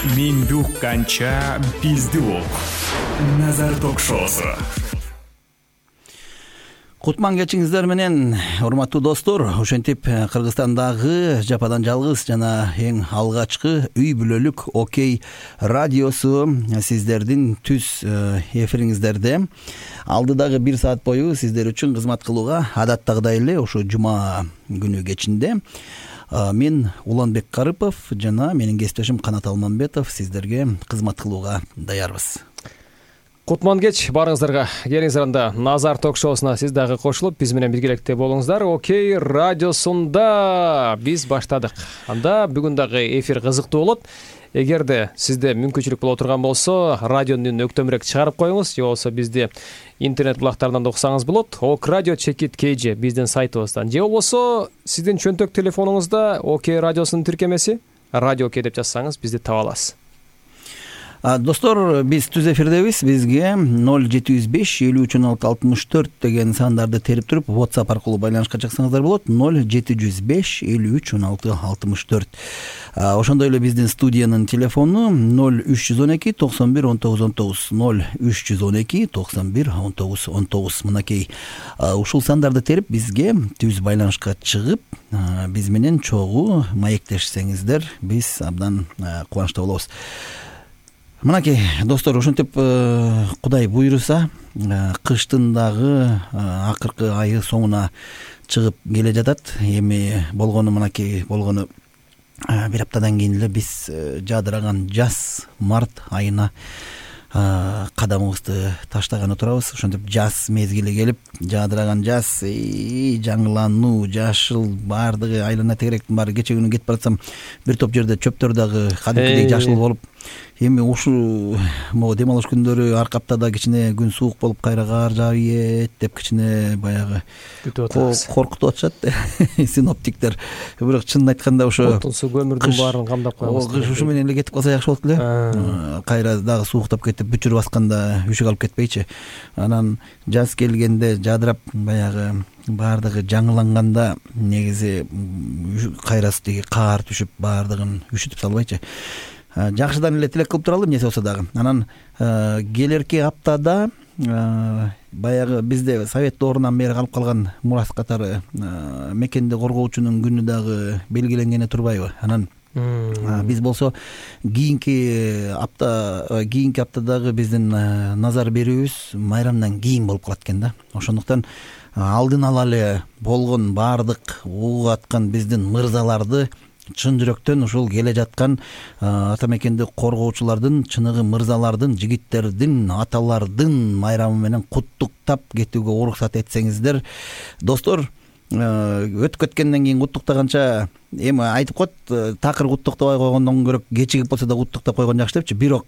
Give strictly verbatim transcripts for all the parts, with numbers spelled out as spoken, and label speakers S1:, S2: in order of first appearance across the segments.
S1: Менди укканча бизди ук. Назар ток-шоусу.
S2: Кутман кечиңиздер менен, урматтуу достор. Ошентип Кыргызстандагы жападан жалгыз жана эң алгачкы үй бүлөлүк Окей радиосу сиздердин түз эфириңиздерде алдыдагы бир саат бою сиздер үчүн кызмат кылууга адаттагыдай эле ошо жума күнү кечинде мен Уланбек Карыпов жана менин кесиптешим Канат Алмамбетов сиздерге кызмат кылууга даярбыз.
S3: Кутман кеч барыңыздарга. Келиңиздер анда Назар ток-шоусуна сиз дагы кошулуп, биз менен биргеликте болуңуздар. Окей радиосунда биз баштадык. Анда бүгүн дагы эфир кызыктуу болот. Эгерде сизде мүмкүнчүлүк боло турган болсо, радионун өктөмүрөөк чыгарып коюңуз, же болбосо бизди интернет булактарынан да уксаңыз болот. ок радио чекит кей же биздин сайтыбыздан, же болбосо сиздин чөнтөк телефонуңузда Окей радиосунун тиркемеси радио Окей деп жазсаңыз бизди таба аласыз.
S2: Достор, биз түз эфирдебиз. Бизге ноль жети жүз беш элүү үч он алты алтымыш төрт деген сандарды терип туруп, WhatsApp аркылуу байланышка чыксаңыздар болот. ноль жети жүз беш элүү үч он алты алтымыш төрт. Ошондой эле биздин студиянын телефону ноль үч жүз он эки токсон бир он тогуз он тогуз, ноль үч жүз он эки токсон бир он тогуз он тогуз. Мынакей ушул сандарды терип бизге түз байланышка чыгып, биз менен чогуу маектешсеңиздер, биз абдан кубанычта болобуз. Мынакей достор, ошентип Кудай буйруса, кыштын дагы акыркы айы соңуна чыгып келе жатат. Эми болгону мынакей болгону бир аптадан кийин эле биз жадыраган жаз март айына кадамыбызды таштаганы турабыз. Ошентип жаз мезгили келип, жадыраган жаз, жаңылануу, жашыл баардыгы айлана тегеректин баары. Кече күнү кетип баратсам, бир топ жерде чөптөр дагы кадимкидей жашыл болуп, эми ушул могу дем алыш күндөрү арка аптада кичине күн суук болуп кайра кар жаабыйт деп кичине баягы коркутуп атышат синоптиктер. Бирок чынын айтканда ошо
S3: отун суу көмүрдүн баарын камдап коебуз.
S2: Кыш ушу менен эле кетип калса жакшы болот эле. Кайра дагы сууктап кетип бүчүр басканда үшүк алып кетпейчи. Анан жаз келгенде жадырап баягы баардыгы жаңыланганда негизи кайра тиги каар түшүп баардыгын үшүтүп салбайчы. Жакшыдан эле тилек кылып туралы, эмнеси болсо дагы. Анан келерки аптада баягы бизде совет доорунан бери калып калган мурас катары мекенди коргоочунун күнү дагы белгиленгени турбайбы? Анан биз болсо кийинки апта кийинки аптадагы биздин назар берүүбүз майрамдан кийин болуп калат экен да. Ошондуктан алдын ала эле болгон баардык угуп аткан биздин мырзаларды чын жүрөктөн ушул келе жаткан ата мекенди коргоочулардын, чыныгы мырзалардын, жигиттердин, аталардын майрамы менен куттуктап кетүүгө уруксат этсеңиздер. Достор, өтүп кеткенден кийин куттуктаганча эми айтып коет, такыр куттуктабай койгондон көрө кечигип болсо да куттуктап койгон жакшы депчи. Бирок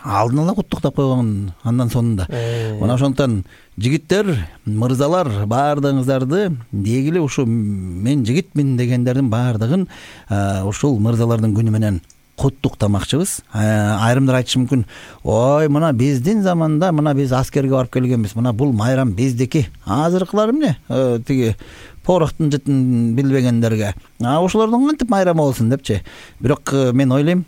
S2: алдын ала куттуктап койгон андан сонунда. Мына ошондуктан жигиттер, мырзалар, баардыгыңыздарды дегиле ушу мен жигитмин дегендердин баардыгын ушул мырзалардын күнү менен куттуктамакчыбыз. Айрымдар айтышы мүмкүн, ой, мына биздин заманда мына биз аскерге барып келгенбиз, мына бул майрам биздики. Азыркылар эмне? Тиги пороктун жытын билбегендерге. А ошолордун кантип майрамы болсун депчи. Бирок мен ойлойм,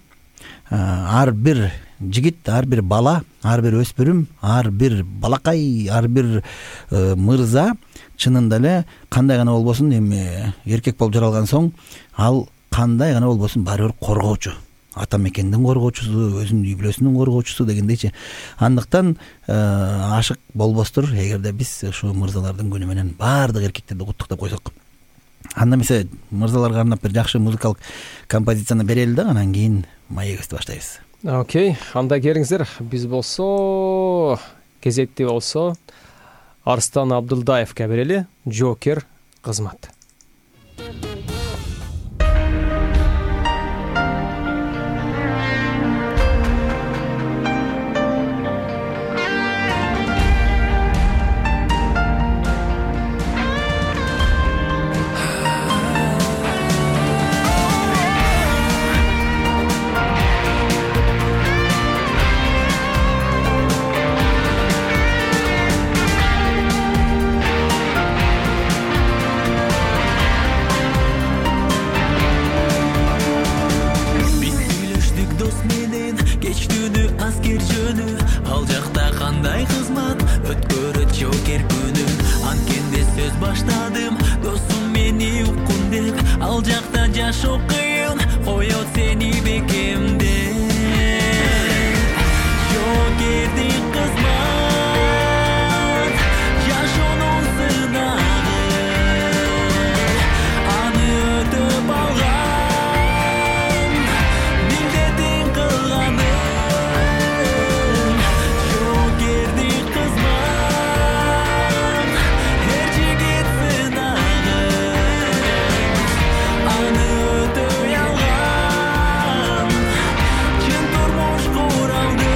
S2: ар бир жигит, ар бир бала, ар бир өспүрүм, ар бир балакай, ар бир мырза чынында эле кандай гана болбосун, эми эркек болуп жаралган соң ал кандай гана болбосун баары бир коргоочу. Ата мекендин коргоочусу, өзүнүн үй бүлөсүнүн коргоочусу дегендейчи. Андыктан ашык болбостур эгерде биз ушу мырзалардын күнү менен баардык эркектерди куттуктап койсок. Анда эмесе мырзаларга арнап бир жакшы музыкалык композицияны берели да, анан кийин маегибизди баштайбыз.
S3: Окей, анда келиңиздер. Биз болсо кезекти болсо Арстан Абдылдаевке берели. Жокер кызмат.
S4: We'll be right back. кандай кызмат өткөрөт жокер күнү. Анткенде сөз баштадым досум мени уккун деп, ал жакта жашоо кыйын коет сени бекемде. Жокерди кызмат жашоонун сынагы, аны өтөп алган милдетин кылганым. Жокерди кызмат эр жигит сынагы, аны өтөй алган чын турмуш куралды.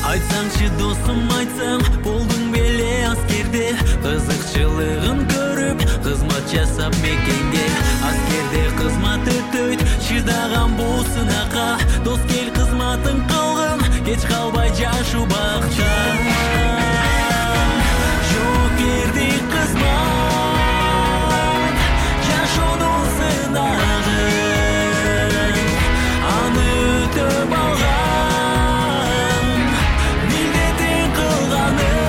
S4: Айтсаңчы досум, айтсаң болдуң беле аскерде, кызыкчылыгын көрүп кызмат жасап мекенге. Аскерде кызмат өтөйт чыдаган бул сынакка, дос кел кызматын кылгын, кеч калбай жашоо бакча. Жокерди кызмат жашоонун сынагы, аны өтөп алган милдетин кылганым.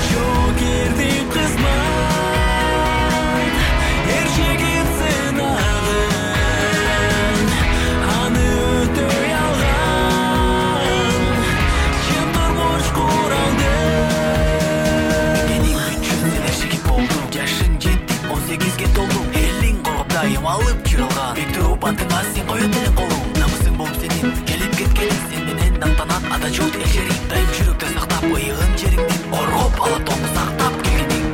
S4: Жокерди кызмат эр жигит сынагы, аны өтөй алган чын турмуш куралды. Менин үчүн сен эр жигит болдуң, жашың жетти он сегизге толдуң, элиң коргоп дайым алып жүрө алган. Бек туруп антыңа сен коет элең колуң, намысың болуп сенин келип кеткениң, сен менен даңтанат ата журт эл жериң. Дайым жүрөктө сактап ыйыгын жериңден, оргоп алатоңду сактап келгениң.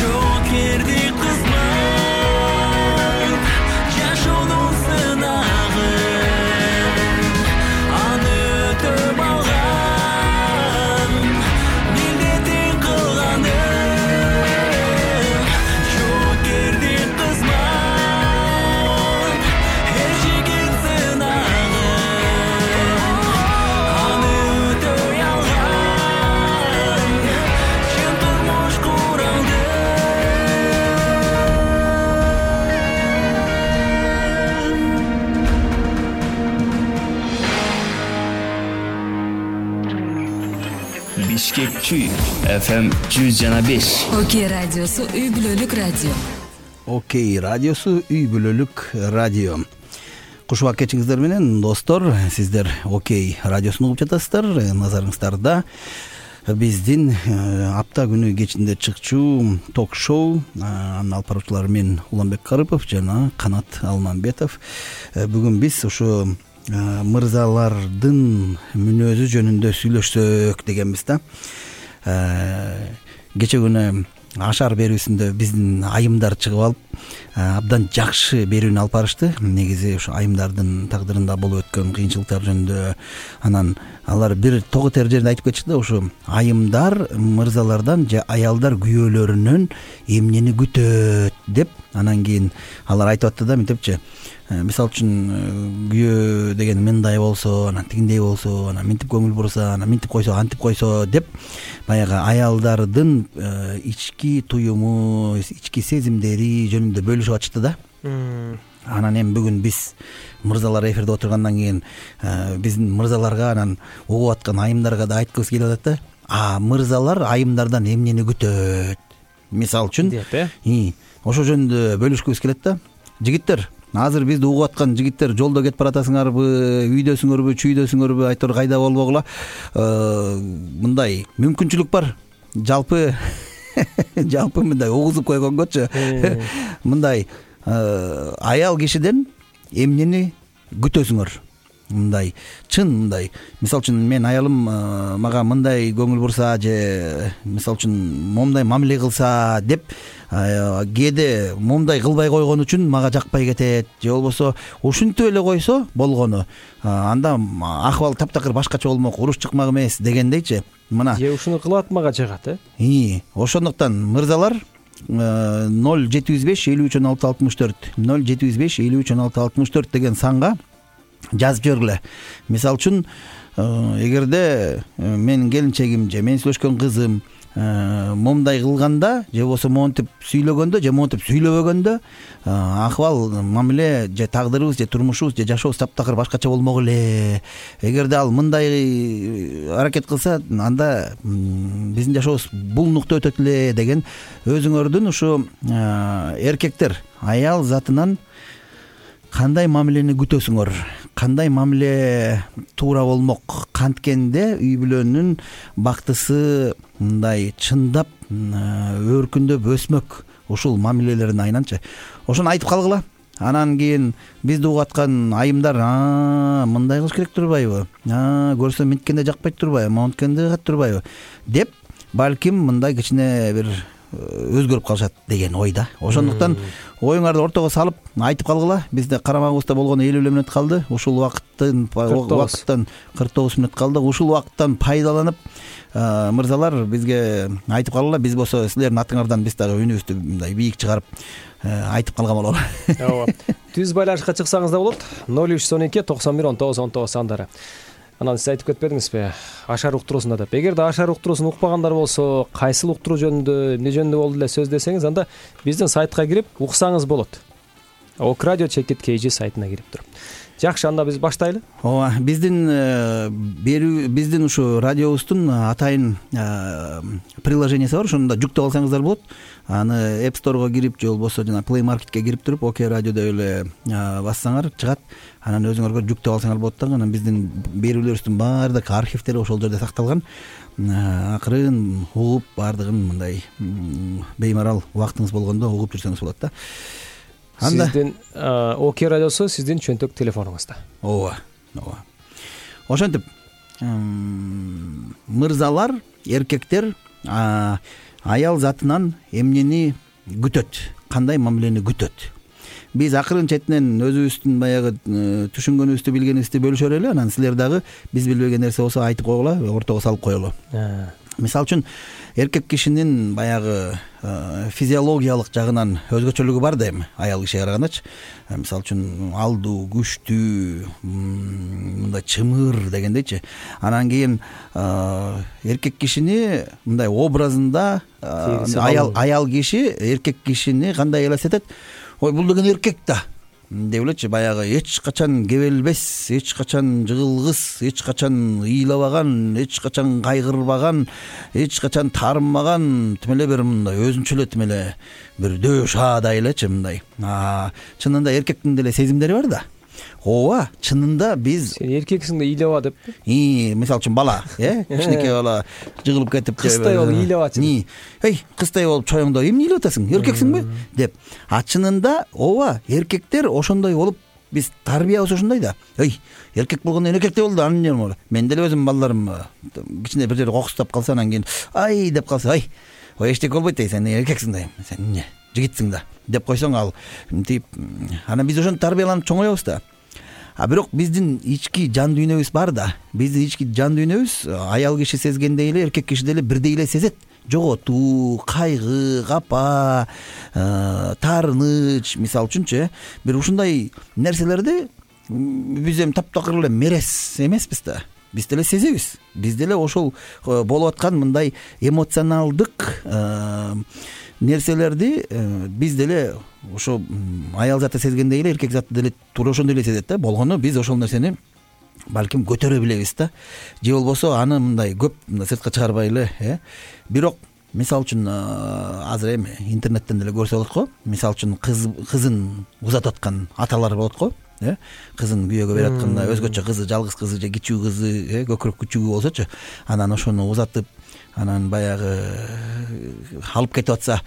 S4: Жокерди кызмат жашоонун сынагы, аны өтөп алган милдетин кылганым. Жокерди кызмат эр жигит сынагы, аны өтөй алган чын турмуш куралды.
S5: Бишкекчи эф эм жүз жана беш.
S6: Окей радиосу үй бүлөлүк радио.
S2: Окей радиосу үй бүлөлүк радио. Куш убак кечиңиздер менен достор, сиздер Окей радиосун угуп жатасыздар. Назарыңыздарда биздин апта күнү кечинде чыкчу ток-шоу, анын алып баруучулары мен Уланбек Карыпов жана Канат Алмамбетов. Бүгүн биз ушу мырзалардын мүнөзү жөнүндө сүйлөшсөк дегенбиз да. Кече күнү ашар берүүсүндө биздин айымдар чыгып алып абдан жакшы берүүнү алып барышты. Негизи ушу айымдардын тагдырында болуп өткөн кыйынчылыктар жөнүндө, анан алар бир тогу тер жерде айтып кетишти да, ушу айымдар мырзалардан же аялдар күйөөлөрүнөн эмнени күтөт деп. Анан кийин алар айтып атты да, мынтипчи, мисалы үчүн күйөө деген мындай болсо, анан тигиндей болсо, анан минтип көңүл бурса, анан минтип койсо, антип койсо деп, баягы аялдардын ички туюму, ички сезимдери жөнүндө бөлүшүп атышты да. Анан эми бүгүн биз мырзалар эфирде отургандан кийин биздин мырзаларга, анан угуп аткан айымдарга да айткыбыз келип атат да. А мырзалар айымдардан эмнени күтөт? Мисалы үчүн деп, э? Ошо жөнүндө бөлүшкүбүз келет да. Жигиттер, азыр бизди угуп аткан жигиттер, жолдо кетип баратасыңарбы, үйдөсүңөрбү, чүйдөсүңөрбү, айтор кайда болбогула, мындай мүмкүнчүлүк бар. Жалпы жалпы мындай угузуп койгонгочу мындай аял кишиден эмнени күтөсүңөр? Мындай чын, мындай мисалы үчүн мен аялым мага мындай көңүл бурса, же мисалы үчүн момундай мамиле кылса деп, кээде момундай кылбай койгон үчүн мага жакпай кетет, же болбосо ушинтип эле койсо болгону, анда акыбал таптакыр башкача болмок, уруш чыкмак эмес дегендейчи. Мына
S3: же ушуну кылат мага жагат, э?
S2: И ошондуктан мырзалар ноль жети жүз беш элүү үч он алты алтымыш төрт ноль жети жүз беш элүү үч он алты алтымыш төрт деген санга жазып жибергиле. Мисалы үчүн эгерде менин келинчегим же мен сүйлөшкөн кызым момундай кылганда же болбосо монтип сүйлөгөндө же монтип сүйлөбөгөндө акыбал мамиле же тагдырыбыз же турмушубуз же жашообуз таптакыр башкача болмок эле. Эгерде ал мындай аракет кылса анда биздин жашообуз булнукта өтөт эле деген өзүңөрдүн ушу эркектер аял затынан кандай мамилени күтөсүңөр, кандай мамиле туура болмок, канткенде үй бүлөнүн бактысы мындай чындап өркүндөп өсмөк ушул мамилелердин айынан ошону айтып калгыла. Анан кийин бизди угуп аткан айымдар мындай кылыш керек турбайбы, көрсөм минткенде жакпайт турбайбы, монткенде кат турбайбы деп балким мындай кичине бир өзгөрүп калышат деген ойда. Ошондуктан оюңарды ортого салып айтып калгыла. Бизде карамагыбызда болгону элүү элүү мүнөт калды. Ушул убакыттын убакыттан кырк тогуз мүнөт калды. Ушул убакыттан пайдаланып мырзалар бизге айтып калгыла. Биз болсо силердин атыңардан биз дагы үнүбүздү мындай бийик чыгарып айтып калган бололу.
S3: Ооба. Түз байланышка чыксаңыз да болот. ноль үч жүз он эки токсон бир он тогуз он тогуз сандары. Анан сиз айтып кетпедиңизби ашар уктуруусунда деп. Эгерде ашар уктуруусун укпагандар болсо, кайсыл уктуруу жөнүндө, эмне жөнүндө болду эле сөз десеңиз, анда биздин сайтка кирип уксаңыз болот. ок радио чекит kg сайтына кирип туруп. Жакшы, анда биз баштайлы.
S2: Ооба, биздин берүү биздин ушу радиобуздун атайын приложениясы бар. Ошондо жүктөп алсаңыздар болот. Аны App Store'го кирип же болбосо жана Play Marketке кирип туруп ок радио деп эле бассаңар чыгат. Анан өзүңөргө жүктөп алсаңар болот да. Анан биздин берүүлөрүбүздүн баардык архивдери ошол жерде сакталган. Акырын угуп баардыгын мындай беймарал убактыңыз болгондо угуп жүрсөңүз болот да.
S3: Анда сиздин ок радиосу сиздин чөнтөк телефонуңузда.
S2: Ооба, ооба. Ошентип мырзалар, эркектер аял затынан эмнени күтөт, кандай мамилени күтөт. Биз акырын четинен өзүбүздүн баягы түшүнгөнүбүздү, билгенибизди бөлүшөр эле. Анан силер дагы биз билбеген нерсе болсо айтып койгула, ортого салып коелу. Мисалы үчүн эркек кишинин баягы физиологиялык жагынан өзгөчөлүгү бар да эми аял кишиге карагандачы. Мисалы үчүн алдуу, күчтүү, мындай чымыр дегендейчи. Анан кийин эркек кишини мындай образында аял аял киши эркек кишини кандай элестетет? Ой, бул деген эркек да деп элечи, баягы эч качан кебелбес, эч качан жыгылгыс, эч качан ыйлабаган, эч качан кайгырбаган, эч качан таарынбаган, тим эле бир мындай өзүнчө эле тим эле бир дөш шаадай элечи мындай. Чынында эркектин деле сезимдери бар да. Ооба, чынында биз
S3: сен эркексиң да ыйлаба деп.
S2: И, мисалы үчүн бала, э, кичинекей бала жыгылып кетип,
S3: кыздай болуп ыйлабачы.
S2: Ни, эй, кыздай болуп чоюңда эмне ыйлап атасың? Эркексиңби? деп. А чынында ооба, эркектер ошондой болуп биз тарбиябыз ошондой да. Эй, эркек болгондон эркектей болду, анын жерин. Мен деле өзүм балдарым кичине бир жерде кокустап калса, анан кийин ай деп калса, ай, ой эчтеке болбойт да, сен эркексиң да, сен эмне, жигитсиң да деп койсоң, ал тип анан биз ошентип тарбияланып чоңоебуз да. А бирок биздин ички жан дүйнөбүз бар да. Биздин ички жан дүйнөбүз аял киши сезгендей эле эркек киши деле бирдей эле сезет. Жоготуу, кайгы, капа, таарыныч, мисалы үчүнчү, бир ушундай нерселерди биз эми таптакыр эле мерес эмеспиз да. Биз деле сезебиз. Биз деле ошол болуп аткан мындай эмоционалдык нерселерди биз деле ошо аял заты сезгендей эле эркек заты деле туура ошондой эле сезет да. Болгону биз ошол нерсени балким көтөрө билебиз да. Же болбосо аны мындай көп сыртка чыгарбай эле, э. Бирок мисалы үчүн азыр эми интернеттен деле көрсө болот го. Мисалы үчүн кыз кызын узатып аткан аталар болот го, э. Кызын күйөөгө берип атканда өзгөчө кызы, жалгыз кызы же кичүү кызы, э, көкүрөк күчүгү болсочу, анан ошону узатып, анан баягы алып кетип атса,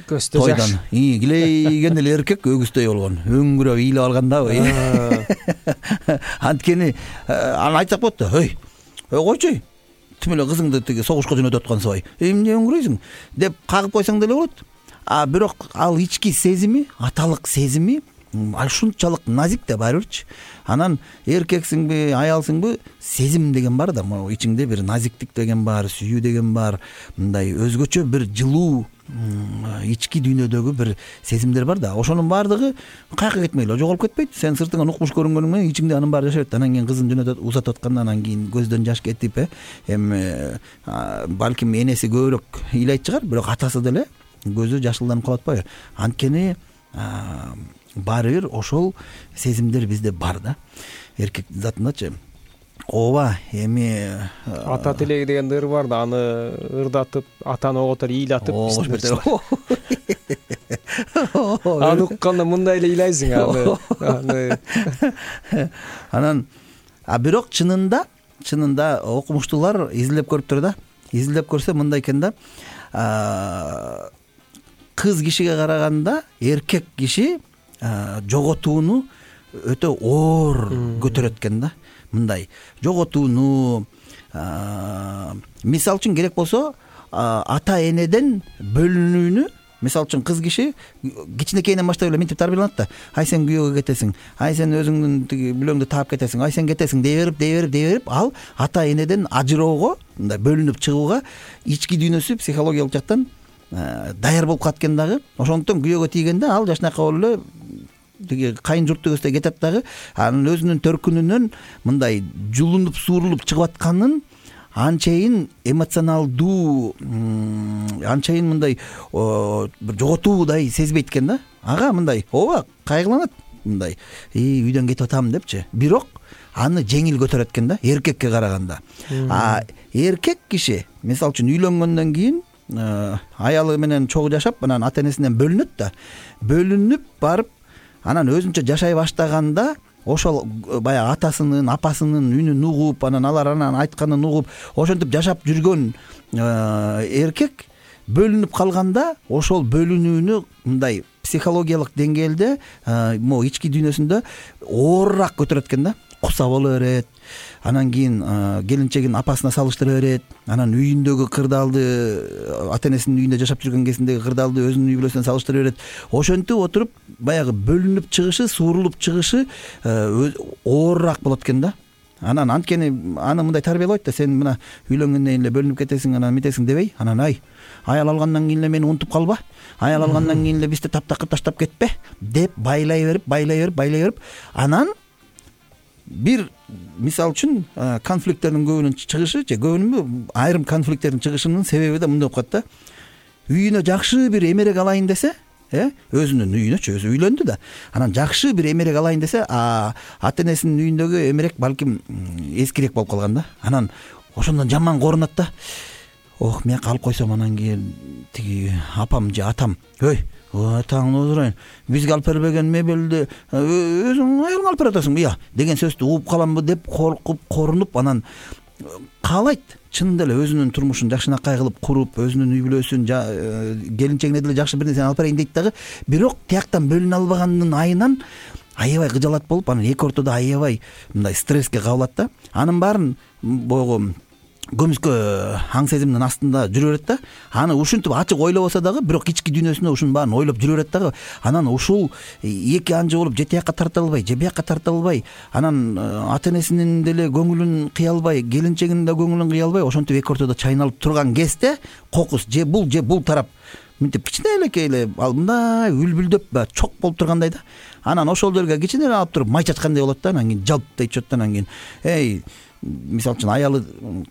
S2: тойдон и килейген эле эркек өгүздөй болгон, өңгүрөп ыйлап алгандабы. Анткени аны айтсак болот да. Ой, койчу, тим эле кызыңды тиги согушка жөнөтүп аткансыбай, эмне өңгүрөйсүң деп кагып койсоң деле болот. А бирок ал ички сезими, аталык сезими ушунчалык назик да баары бирчи. Анан эркексиңби аялсыңбы, сезим деген бар да, могу ичиңде бир назиктик деген бар, сүйүү деген бар, мындай өзгөчө бир жылуу ички дүйнөдөгү бир сезимдер бар да. Ошонун баардыгы каяка кетмей эле жоголуп кетпейт. Сен сыртыңан укмуш көрүнгөнүң менен ичиңде анын баары жашап атат. Анан кийин кызын жөнөтүп узатып атканда, анан кийин көздөн жаш кетип, э эми балким энеси көбүрөөк ыйлайт чыгар, бирок атасы деле көзү жашылданып калып атпайбы? Анткени баары бир ошол сезимдер бизде бар да. Эркек затындачы. Ооба, эми
S3: ата тилеги деген ыр бар да, аны ырдатып, атаны оготор ыйлатып аны укканда мындай эле ыйлайсың аны.
S2: Анан а бирок чынында, чынында окумуштуулар изилдеп көрүптүр да. Изилдеп көрсө мындай экен да. Кыз кишиге караганда эркек киши жоготууну өтө оор көтөрөт экен да. Мындай жоготууну, мисалы үчүн керек болсо ата энеден бөлүнүүнү, мисалы үчүн кыз киши кичинекейинен баштап эле минтип тарбияланат да. Ай сен күйөөгө кетесиң, ай сен өзүңдүн тиги бүлөңдү таап кетесиң, ай сен кетесиң дей берип, дей берип, дей берип, ал ата энеден ажыроого, мындай бөлүнүп чыгууга ички дүйнөсү психологиялык жактан даяр болуп калат экен дагы. Ошондуктан күйөөгө тийгенде ал жашынака болуп эле тиги кайын журтту көздөй кетет дагы. Анын өзүнүн төркүнүнөн мындай жулунуп суурулуп чыгып атканын анчайын эмоционалдуу, анчайын мындай бир жоготуудай сезбейт экен да. Ага мындай ооба кайгыланат, мындай үйдөн кетип атам депчи. Бирок аны жеңил көтөрөт экен да, эркекке караганда. А эркек киши мисалы үчүн үйлөнгөндөн кийин аялы менен чогуу жашап, анан ата энесинен бөлүнөт да. Бөлүнүп барып, анан өзүнчө жашай баштаганда ошол баягы атасынын, апасынын үнүн угуп, анан алар анан айтканын угуп, ошентип жашап жүргөн эркек бөлүнүп калганда, ошол бөлүнүүнү мындай психологиялык деңгээлде, могу ички дүйнөсүндө оорураак көтөрөт экен да. Куса боло берет. Анан кийин келинчегин апасына салыштыра берет. Анан үйүндөгү кырдаалды, ата энесинин үйүндө жашап жүргөн кезиндеги кырдаалды өзүнүн үй бүлөсүнө салыштыра берет. Ошентип отуруп, баягы бөлүнүп чыгышы, суурулуп чыгышы оорураак болот экен да. Анан анткени аны мындай тарбиялайт да, сен мына үйлөнгөндөн кийин эле бөлүнүп кетесиң, анан митесиң дебей, анан ай аял алгандан кийин эле мени унутуп калба, аял алгандан кийин эле бизди таптакыр таштап кетпе деп байлай берип, байлай берип, байлай берип, анан бир мисалы үчүн конфликттердин көбүнүн чыгышы, же көбүнүнбү, айрым конфликттердин чыгышынын себеби да мындай болуп калат да. Үйүнө жакшы бир эмерек алайын десе, э өзүнүн үйүнөчү, өзү үйлөндү да. Анан жакшы бир эмерек алайын десе, ата энесинин үйүндөгү эмерек балким эскирээк болуп калган да. Анан ошондон жаман корунат да. Ох, мен алып койсом анан кийин тиги апам же атам, өй таңын отурайын, бизге алып бербеген мебелди өзүң аялың алып берип атасың, ыя деген сөздү угуп каламбы деп коркуп, корунуп, анан каалайт чынында эле өзүнүн турмушун жакшынакай кылып куруп, өзүнүн үй бүлөсүн, келинчегине деле жакшы бир нерсени алып берейин дейт дагы. Бирок тияктан бөлүнө албаганын айынан аябай кыжалат болуп, анан эки ортодо аябай мындай стресске кабылат да. Анын баарын боюгу көмүскө аң сезимдин астында жүрө берет да. Аны ушинтип ачык ойлобосо дагы, бирок ички дүйнөсүндө ушунун баарын ойлоп жүрө берет дагы. Анан ушул эки анжы болуп, же тияка тарта албай, же бияка тарта албай, анан ата энесинин деле көңүлүн кыя албай, келинчегинин да көңүлүн кыя албай, ошентип эки ортодо чайналып турган кезде кокус же бул же бул тарап мынтип кичине элекей эле ал мындай үлбүлдөп баягы чок болуп тургандай да. Анан ошол жерге кичине эле алып туруп май чачкандай болот да. Анан кийин жалп дейт чот, анан кийин эй, мисалы үчүн аялы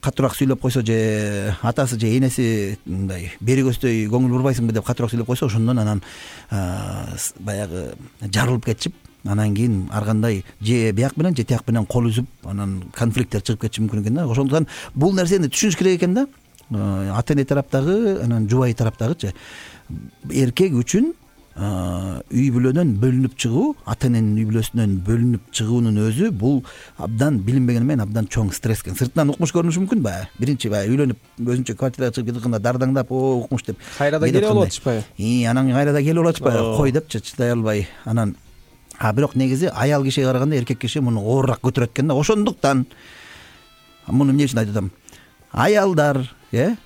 S2: катуураак сүйлөп койсо, же атасы же энеси мындай бери көздөй көңүл бурбайсыңбы деп катуураак сүйлөп койсо, ошондон анан баягы жарылып кетишип, анан кийин ар кандай же бияк менен же тияк менен кол үзүп, анан конфликттер чыгып кетиши мүмкүн экен да. Ошондуктан бул нерсени түшүнүш керек экен да. Ата эне тараптагы, анан жубайы тараптагычы эркек үчүн үй бүлөдөн бөлүнүп чыгуу, ата эненин үй бүлөсүнөн бөлүнүп чыгуунун өзү бул абдан билинбегени менен абдан чоң стресс экен. Сыртынан укмуш көрүнүшү мүмкүн баягы. Биринчи баягы үйлөнүп өзүнчө квартирага чыгып кетканда дардаңдап, о укмуш деп.
S3: Кайрада келип алып атышпайбы? И, анан кайрада келип алып атышпайбы? Кой депчи, чыдай албай. Анан а бирок негизи аял кишиге караганда эркек киши муну оорураак көтөрөт экен да. Ошондуктан муну эмне үчүн айтып атам? Аялдар, э,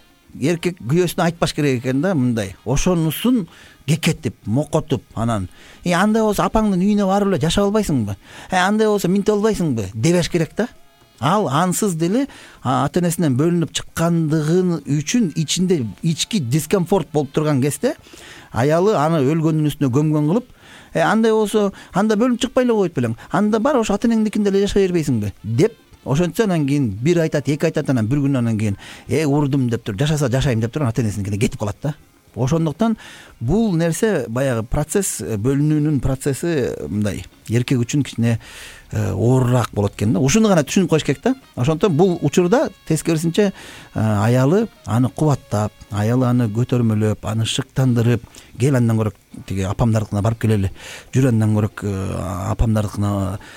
S2: эркек күйөөсүнө айтпаш керек экен да, мындай ошонусун кекетип мокотуп анан э андай болсо апаңдын үйүнө барып эле жашап албайсыңбы, э андай болсо минтип албайсыңбы дебеш керек да. Ал ансыз деле ата энесинен бөлүнүп чыккандыгы үчүн ичинде ички дискомфорт болуп турган кезде аялы аны өлгөндүн үстүнө көмгөн кылып, э андай болсо анда бөлүнүп чыкпай эле коет белең, анда бар ошо ата энеңдикинде эле жашай бербейсиңби деп ошентсе анан кийин бир айтат, эки айтат, анан бир күн анан кийин э урдум деп туруп жашаса жашайм деп туруп ата энесиникине кетип калат да. Ошондуктан бул нерсе баягы процесс, бөлүнүүнүн процесси мындай эркек үчүн кичине оорураак болот экен да. Ушуну гана түшүнүп коюш керек да. Ошондуктан бул учурда тескерисинче аялы аны кубаттап, аялы аны көтөрмөлөп, аны шыктандырып, кел андан көрө тиги апамдардыкына барып келели, жүр андан көрө апамдардыкына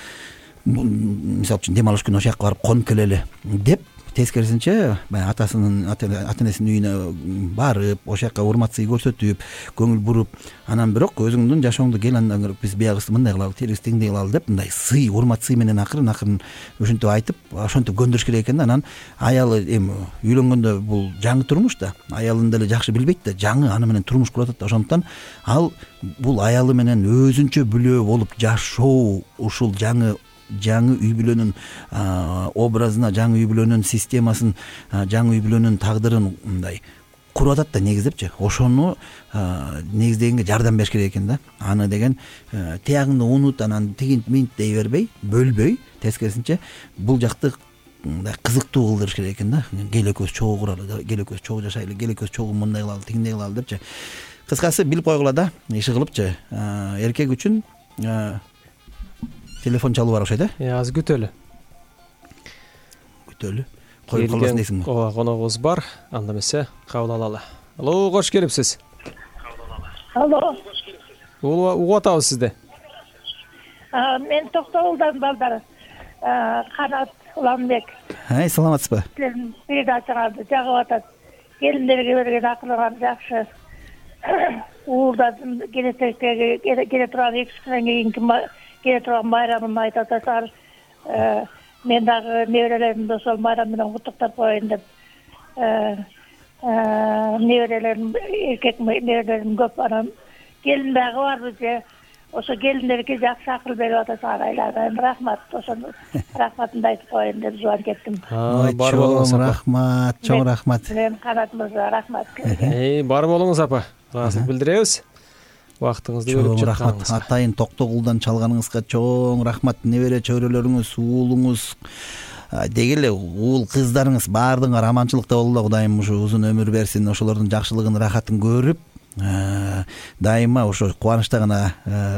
S2: мисалы үчүн дем алыш күнү ошол жака барып конуп келели деп тескерисинче баягы атасынын ата энесинин үйүнө барып, ошол жака урмат сый көрсөтүп, көңүл буруп, анан бирок өзүңдүн жашооңду кел андан көрө биз биягыбызды мындай кылалы, тирибизди тиңдей кылалы деп мындай сый, урмат сый менен акырын акырын ушинтип айтып, ошентип көндүрүш керек экен да. Анан аялы эми үйлөнгөндө бул жаңы турмуш да, аялын деле жакшы билбейт да, жаңы аны менен турмуш куруп атат да. Ошондуктан ал бул аялы менен өзүнчө бүлөө болуп жашоо, ушул жаңы жаңы үй бүлөнүн образына, жаңы үй бүлөнүн системасын, жаңы үй бүлөнүн тагдырын мындай куруп атат да негиздепчи. Ошону негиздегенге жардам бериш керек экен да. Аны деген тиягыңды унут, анан тигинт минт дей бербей, бөлбөй, тескерисинче бул жакты мындай кызыктуу кылдырыш керек экен да. Кел экөөбүз чогуу куралы, кел экөөбүз чогуу жашайлы, кел экөөбүз чогуу мындай кылалы, тигиндей кылалы депчи. Кыскасы билип койгула да, иши кылыпчы. Эркек үчүн телефон чалуу бар окшойт э?
S3: Азыр күтөлү.
S2: Күтөлү. Коюп калбасын дейсиңби?
S3: Ооба, коногубуз бар. Анда эмесе кабыл алалы. Алло, кош келипсиз.
S7: Алло.
S3: Угуп атабыз сизди.
S7: Мен Токтогулдан балдар. Канат Уламбек.
S2: Ай, саламатсызбы?
S7: Передачаңарды жагып атат. Келиндерге берген акылыңар жакшы. Уулдадым, келечектеги келе турган эки күндөн кийинки келе турган байрамын айтып атасыздар. Мен дагы неберелеримди ошол байрам менен куттуктап коеюн деп. Неберелерим, эркек неберелерим көп. Анан келин дагы барбы же? Ошо келиндерге жакшы акыл берип атасыздар айлардан. Рахмат, ошону рахматымды айтып коеюн деп жубан кеттим.
S3: Бар болуңуз апа.
S2: Рахмат, чоң рахмат.
S7: Мен Канат мырза, рахмат.
S3: Эй, бар болуңуз апа. Ыраазылык билдиребиз. Убактыңызды бөлүп
S2: чыкканыңызга. Чоң рахмат. Атайын Токтогулдан чалганыңызга чоң рахмат. Небере чөйрөлөрүңүз, уулуңуз, деги эле уул кыздарыңыз баардыгыңар аманчылыкта болгула. Кудайым ушу узун өмүр берсин. Ошолордун жакшылыгын, рахатын көрүп, дайыма ошо кубанычта гана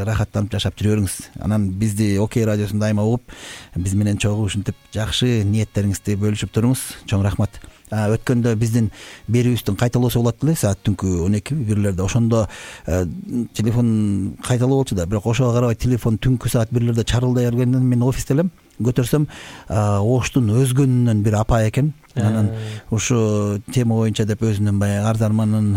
S2: рахаттанып жашап жүрө бериңиз. Анан бизди Окей радиосун дайыма угуп, биз менен чогуу ушинтип жакшы ниеттериңизди бөлүшүп туруңуз. Чоң рахмат. Өткөндө биздин берүүбүздүн кайталоосу болот эле саат түнкү он эки бирлерде. Ошондо телефон кайталоо болчу да, бирок ошого карабай телефон түнкү саат бирлерде чарылдай бергенден мен офисте элем. Көтөрсөм, оштун өзгөнүнөн бир апа экен. Анан ушу тема боюнча деп өзүнүн баягы арз арманын,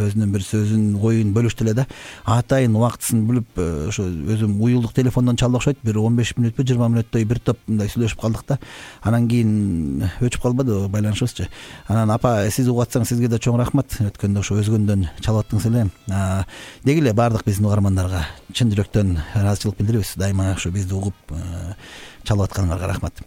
S2: өзүнүн бир сөзүн, оюн бөлүштү эле да. Атайын убактысын билип, ошо өзүм уюлдук телефондон чалды окшойт. Бир он беш мүнөтпү, жыйырма мүнөттөй бир топ мындай сүйлөшүп калдык да. Анан кийин өчүп калбады байланышыбызчы. Анан апа, сиз угуп атсаңыз сизге да чоң рахмат. Өткөндө ошо өзгөндөн чалып аттыңыз эле. Деги эле баардык биздин угармандарга чын жүрөктөн ыраазычылык билдиребиз. Дайыма ошо бизди угуп чалып атканыңарга рахмат.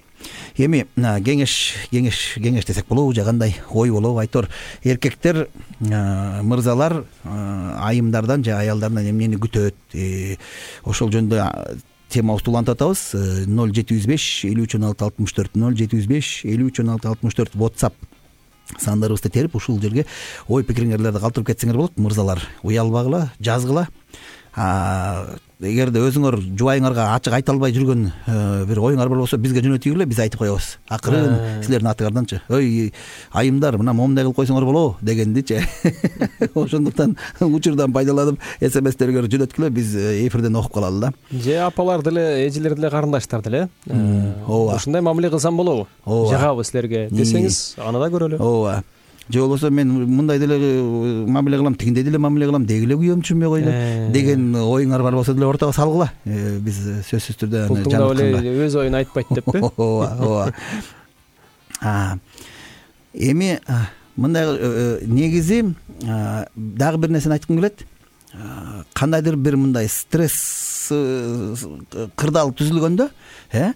S2: Эми кеңеш кеңеш кеңеш десек болобу же кандай ой болобу? Айтор эркектер, мырзалар айымдардан же аялдарынан эмнени күтөт? Ошол жөнүндө темабызды улантып атабыз. ноль жети жүз беш элүү үч он алты алтымыш төрт ноль жети жүз беш элүү үч он алты алтымыш төрт WhatsApp сандарыбызды терип ушул жерге ой пикириңерди калтырып кетсеңер болот. Мырзалар, уялбагыла, жазгыла. Эгерде өзүңөр жубайыңарга ачык айта албай жүргөн бир оюңар бар болсо бизге жөнөтүңүр, биз айтып коебуз. Акырын силердин атыңарданчы. Ой, айымдар, мына момундай кылып койсоңор болобу дегендичи. Ошондуктан учурдан пайдаланып эс эм эстерге жөнөткүлө, биз эфирден окуп калалы да.
S3: Же апалар деле, эжелер деле, карындаштар деле.
S2: Ооба.
S3: Ушундай мамиле кылсам болобу? Жагабыз силерге десеңиз, аны да көрөлү.
S2: Ооба. Же болбосо мен мындай деле мамиле кылам, тигиндей деле мамиле кылам, деги эле күйөөм түшүнбөй койду деген оюңар бар болсо деле ортого салгыла. Биз сөзсүз түрдө аны
S3: жаныкканга өз оюн айтпайт деппи?
S2: Ооба, ооба. Эми мындай негизи дагы бир нерсени айткым келет. Кандайдыр бир мындай стресс кырдаал түзүлгөндө э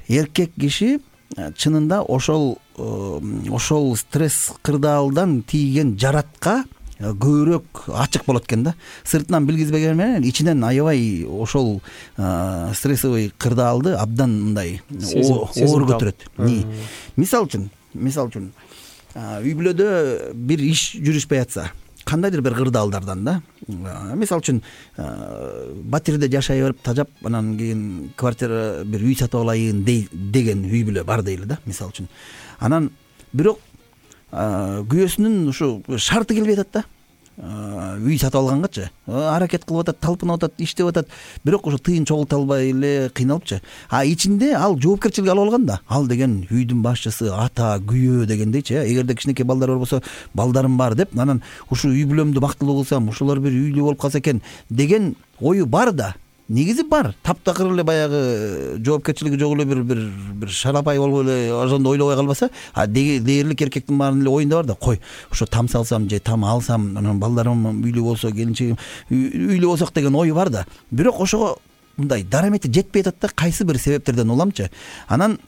S2: эркек киши чынында ошол ошол стресс кырдаалдан тийген жаратка көбүрөөк ачык болот экен да. Сыртынан билгизбеген менен ичинен аябай ошол стрессовый кырдаалды абдан мындай оор көтөрөт. Мисалы үчүн, мисалы үчүн үй бүлөдө бир иш жүрүшпөй атса, кандайдыр бир кырдаалдардан да. Мисалы үчүн батирде жашай берип тажап, анан кийин квартира бир үй сатып алайын деген үй бүлө бар дейли да, мисалы үчүн. Анан бирок күйөөсүнүн ушу шарты келбей атат да. Үй сатып алгангачы аракет кылып атат, талпынып атат, иштеп атат, бирок ошо тыйын чогулта албай эле кыйналыпчы. А ичинде ал жоопкерчилик алып алган да. Ал деген үйдүн башчысы, ата, күйөө дегендейчи. Эгерде кичинекей балдар бар болсо, балдарым бар деп, анан ушу үй бүлөмдү бактылуу кылсам, ушулар бир үйлүү болуп калса экен деген ою бар да. Негизи бар. Таптакыр эле баягы жоопкерчилиги жок эле бир бир бир шарапай болуп эле ошондо ойлобой калбаса, а дээрлик эркектин баарынын эле оюнда бар да. Кой, ошо там салсам же там алсам, анан балдарым үйлүү болсо, келинчегим үйлүү болсок деген ою бар да. Бирок ошого мындай дарамети жетпей атат да, кайсы бир себептерден уламчы. Анан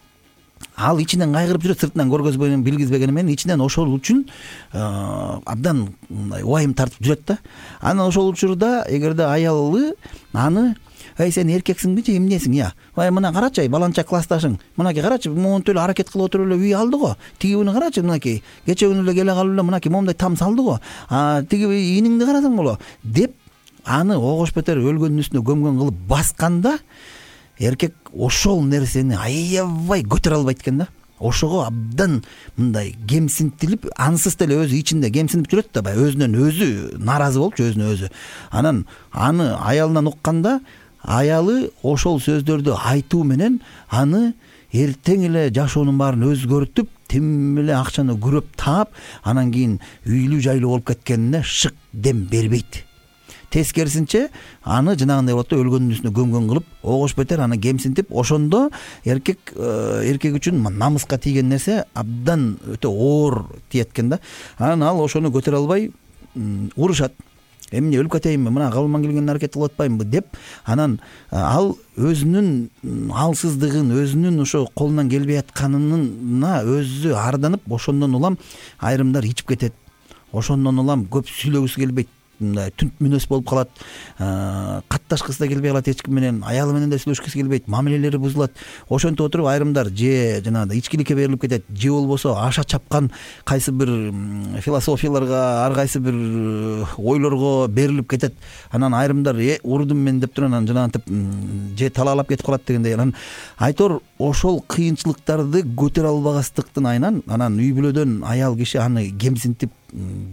S2: ал ичинен кайгырып жүрөт, сыртынан көргөзбөгөн, билгизбегени менен ичинен ошол үчүн абдан мындай убайым тартып жүрөт да. Анан ошол учурда эгерде аялы аны ай сен эркексиңби же эмнесиң я? Ай мына карачы, ай баланча классташың. Мынакей карачы, монтип эле аракет кылып отуруп эле үй алды го. Тиги күнү карачы, мынакей кече күнү эле келе калып эле мынакей момундай там салды го. А тиги иниңди карасаң боло деп аны огош бетер өлгөндүн үстүнө көмгөн кылып басканда эркек ошол нерсени аябай көтөрө албайт экен да. Ошого абдан мындай кемсинтилип, ансыз деле өзү ичинде кемсинип жүрөт да, баягы өзүнөн өзү нааразы болупчу, өзүнө өзү. Анан аны аялынан укканда аялы ошол сөздөрдү айтуу менен аны эртең эле жашоонун баарын өзгөртүп, тим эле акчаны күрөп таап, анан кийин үйлүү жайлуу болуп кеткенине шык дем бербейт. Тескерисинче аны жанагындай болот да, өлгөндүн үстүнө көмгөн кылып, огош бетер аны кемсинтип, ошондо эркек эркек үчүн намыска тийген нерсе абдан өтө оор тиет экен да. Анан ал ошону көтөрө албай урушат. Эмне өлүп кетейинби, мына калыман келгенин аракет кылып атпаймынбы деп, анан ал өзүнүн алсыздыгын, өзүнүн ошо колунан келбей атканына өзү арданып, ошондон улам айрымдар ичип кетет. Ошондон улам көп сүйлөгүсү келбейт, түнт мүнөс болуп калат, катташкысы да келбей калат эч ким менен, аялы менен да сүйлөшкүсү келбейт, мамилелери бузулат. Ошентип отуруп айрымдар же жанагындай ичкиликке берилип кетет, же болбосо аша чапкан кайсы бир философияларга, ар кайсы бир ойлорго берилип кетет. Анан айрымдар э урдум мен деп туруп анан жанагынтип же талаалап кетип калат дегендей. Анан айтор ошол кыйынчылыктарды көтөрө албагастыктын айынан анан үй бүлөдөн аял киши аны кемсинтип,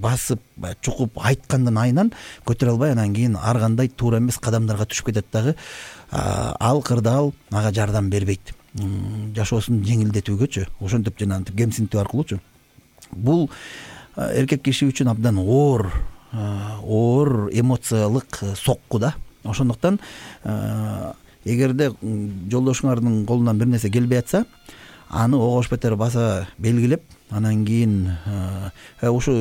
S2: басып, чукуп айткандын айынан көтөрө албай, анан кийин ар кандай туура эмес кадамдарга түшүп кетет дагы. Ал кырдаал ага жардам бербейт. Жашоосун жеңилдетүүгөчү, ошентип жанагынтип кемсинтүү аркылуучу. Бул эркек киши үчүн абдан оор, оор эмоциялык сокку да. Ошондуктан эгерде жолдошуңардын колунан бир нерсе келбей атса, аны огош бетер баса белгилеп, анан кийин ушу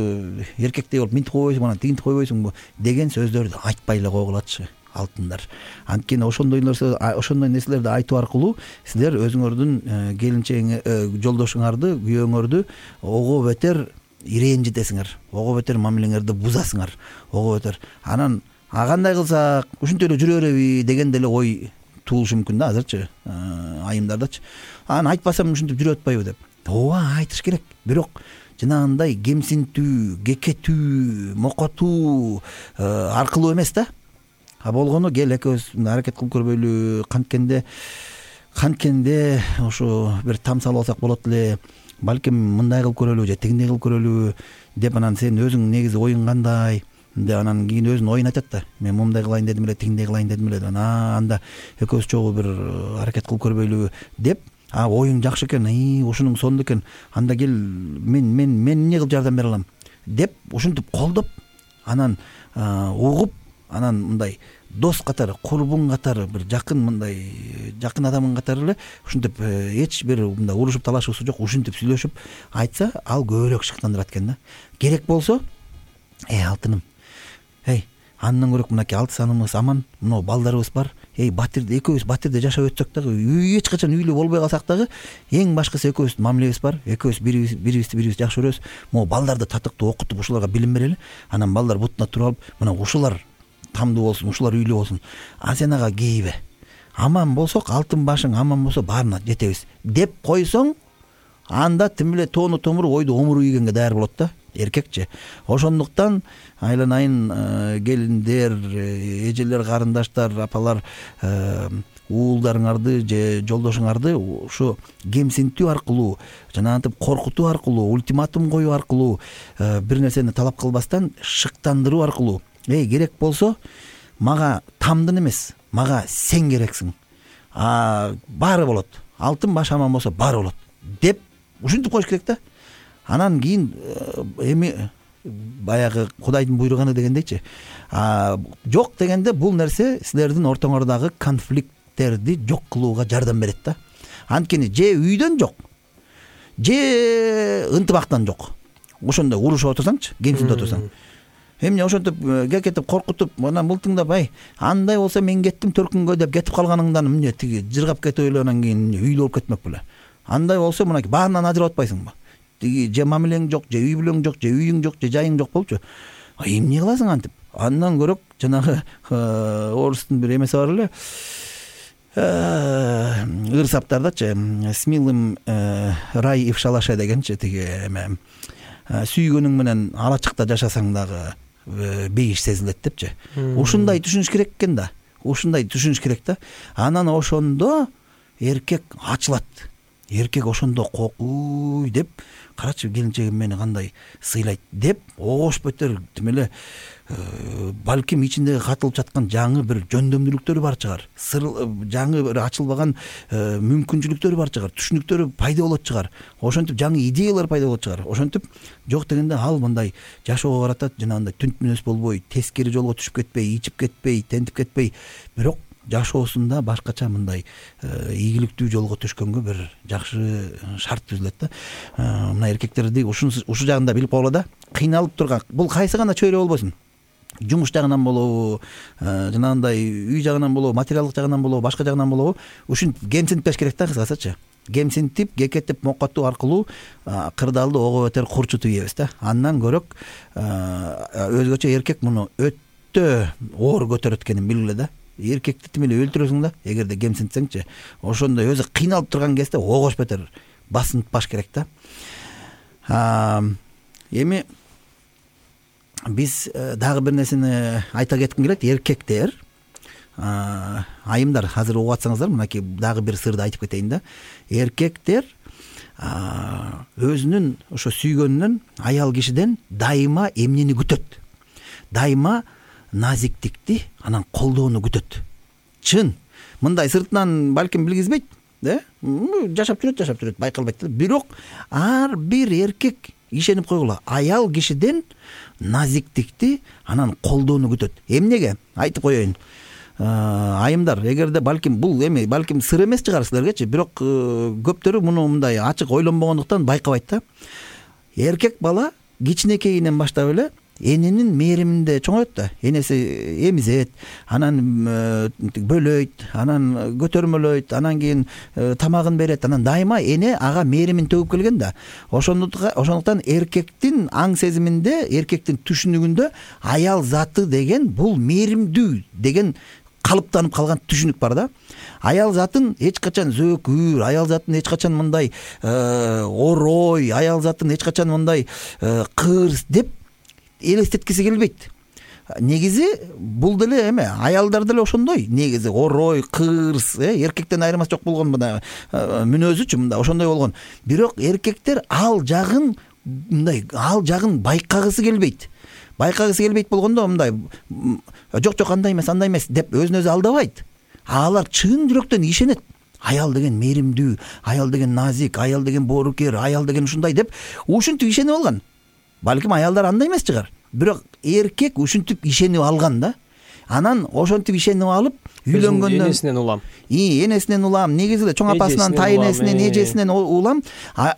S2: эркектей болуп минтип койбойсуңбу, анан тигинтип койбойсуңбу деген сөздөрдү айтпай эле койгулачы алтындар. Анткени ошондой нерсе, ошондой нерселерди айтуу аркылуу силер өзүңөрдүн келинчегиң, жолдошуңарды, күйөөңөрдү ого бетер ирэнжитесиңер, ого бетер мамилеңерди бузасыңар, ого бетер. Анан а кандай кылсак ушинтип эле жүрө береби деген деле ой туулушу мүмкүн да азырчы, айымдардачы. Анан айтпасам ушинтип жүрүп атпайбы деп. Ооба, айтыш керек. Бирок жанагындай кемсинтүү, кекетүү, мокотуу аркылуу эмес да. А болгону кел экөөбүз аракет кылып көрбөйлү, канткенде канткенде ошо бир там салып алсак болот эле, балким мындай кылып көрөлү же тигиндей кылып көрөлү деп, анан сен өзүң негизи оюң кандай деп, анан кийин өзүнүн оюн айтат да. Мен момундай кылайын дедим эле, тигиндей кылайын дедим эле. Анан анда экөөбүз чогуу бир аракет кылып көрбөйлү деп, а оюң жакшы экен, ии ушунуң сонду экен, анда кел мен мен мен эмне кылып жардам бере алам деп ушинтип колдоп, анан угуп анан мындай дос катары, курбун катары, бир жакын мындай жакын адамың катары эле ушинтип эч бир мындай урушуп талашуусу жок, ушинтип сүйлөшүп айтса ал көбүрөөк шыктандырат экен да. Керек болсо, эй алтыным, эй андан көрөк мынакей алты саныбыз аман, мына балдарыбыз бар, эй Батирде экөөбүз Батирде жашап өтсөк дагы, эч качан үйлүү болбой калсак дагы, эң башкысы экөөбүздүн мамилебиз бар, экөөбүз бирибиз бирибизди бирибиз жакшы көрөбүз, могу балдарды татыктуу окутуп ушуларга билим берели, анан балдар бутуна туруп алып, мына ушулар тамдуу болсун, ушулар үйлүү болсун, а сен ага кейбе, аман болсок алтын башың аман болсо баарына жетебиз деп койсоң, анда тим эле тоону томуруп ойду омуру ийгенге даяр болот да эркекчи. Ошондуктан айланайын келиндер, эжелер, карындаштар, апалар, уулдарыңарды же жолдошуңарды ушу кемсинтүү аркылуу, жанагынтип коркутуу аркылуу, ультиматум коюу аркылуу, бир нерсени талап кылбастан шыктандыруу аркылуу, эй керек болсо мага тамдын эмес, мага сен керексиң, а баары болот, алтын баш аман болсо баары болот деп ушинтип коюш керек да. Анан кийин эми баягы Кудайдын буйруганы дегендейчи, жок дегенде бул нерсе силердин ортоңордогу конфликттерди жок кылууга жардам берет да. Анткени же үйдөн жок, же ынтымактан жок, ошондой урушуп отурсаңчы, кемсинтип отурсаң, эмне ошентип кекетип коркутуп, анан мылтыңдап, ай андай болсо мен кеттим төркүнгө деп кетип калганыңдан эмне тиги жыргап кетип эле анан кийин үйлүү болуп кетмек беле. Андай болсо мынакей баарынан ажырап атпайсыңбы? Тиги же мамилең жок, же үй бүлөң жок, же үйүң жок, же жайың жок болчу. Эмне кыласың антип? Андан көрөк жанагы орустун бир эмеси бар эле. Ыр саптардачы с милым рай ифшалаша дегенчи, тиги эме сүйгөнүң менен алачыкта жашасаң дагы бейиш сезилет депчи. Ушундай түшүнүш керек экен да. Ушундай түшүнүш керек да. Анан ошондо эркек ачылат. Эркек ошондо кокуй деп, карачы келинчегим мени кандай сыйлайт деп огош бетер тим эле балким ичиндеги катылып жаткан жаңы бир жөндөмдүүлүктөрү бар чыгар, жаңы бир ачылбаган мүмкүнчүлүктөрү бар чыгар, түшүнүктөрү пайда болот чыгар, ошентип жаңы идеялар пайда болот чыгар. Ошентип жок дегенде ал мындай жашоого каратат, жанагындай түнт мүнөз болбой, тескери жолго түшүп кетпей, ичип кетпей, тентип кетпей, бирок жашоосунда башкача мындай ийгиликтүү жолго түшкөнгө бир жакшы шарт түзүлөт да. Мына эркектерди ушу ушу жагында билип койгула да. Кыйналып турган, бул кайсы гана чөйрө болбосун. Жумуш жагынан болобу, жанагындай үй жагынан болобу, материалдык жагынан болобу, башка жагынан болобу, ушинтип кемсинтпеш керек да, кыскасычы. Кемсинтип, кекетип, моккатуу аркылуу кырдаалды ого бетер курчутуп ийебиз да. Андан көрөк өзгөчө эркек муну өтө оор көтөрөт экенин билгиле да. Эркекти тим эле өлтүрөсүң да, эгерде кемсинтсеңчи. Ошондой өзү кыйналып турган кезде огош бетер басынтпаш керек да. Эми биз дагы бир нерсени айта кетким келет. Эркектер, айымдар, азыр угуп атсаңыздар, мынакей дагы бир сырды айтып кетейин да. Эркектер өзүнүн ошо сүйгөнүнөн, аял кишиден дайыма эмнени күтөт? Дайыма назиктикти, анан колдоону күтөт. Чын, мындай сыртынан балким билгизбейт, да? Жашап жүрөт, жашап жүрөт, байкалбайт да. Бирок ар бир эркек ишенип койгула, аял кишиден назиктикти, анан колдоону күтөт. Эмнеге? Айтып коеюн. Айымдар, эгерде балким бул эми балким сыр эмес чыгар силергечи, бирок көптөрү муну мындай ачык ойлонбогондуктан байкабайт да. Эркек бала кичинекейинен баштап эле эненин мээриминде чоңоет да. Энеси эмизет, анан бөлөйт, анан көтөрмөлөйт, анан кийин тамагын берет, анан дайыма эне ага мээримин төгүп келген да. Ошондуктан эркектин аң сезиминде, эркектин түшүнүгүндө аял заты деген бул мээримдүү деген калыптанып калган түшүнүк бар да. Аял затын эч качан зөөкүр, аял затын эч качан мындай орой, аял затын эч качан мындай кырс деп элестеткиси келбейт. Негизи бул деле эме аялдар деле ошондой. Негизи орой, кырс, эркектен айырмасы жок болгон мына мүнөзүчү мында ошондой болгон. Бирок эркектер ал жагын мындай ал жагын байкагысы келбейт. Байкагысы келбейт болгондо мындай жок жок андай эмес, андай эмес деп өзүн өзү алдабайт. Алар чын жүрөктөн ишенет. Аял деген мээримдүү, аял деген назик, аял деген боорукер, аял деген ушундай деп ушинтип ишенип алган. Балким аялдар андай эмес чыгар. Бирок эркек ушинтип ишенип алган да. анан ошентип ишенип алып үйлөнгөндөн
S3: энесинен улам
S2: и энесинен улам, негизи эле чоң апасынан, тайэнесинен, эжесинен улам.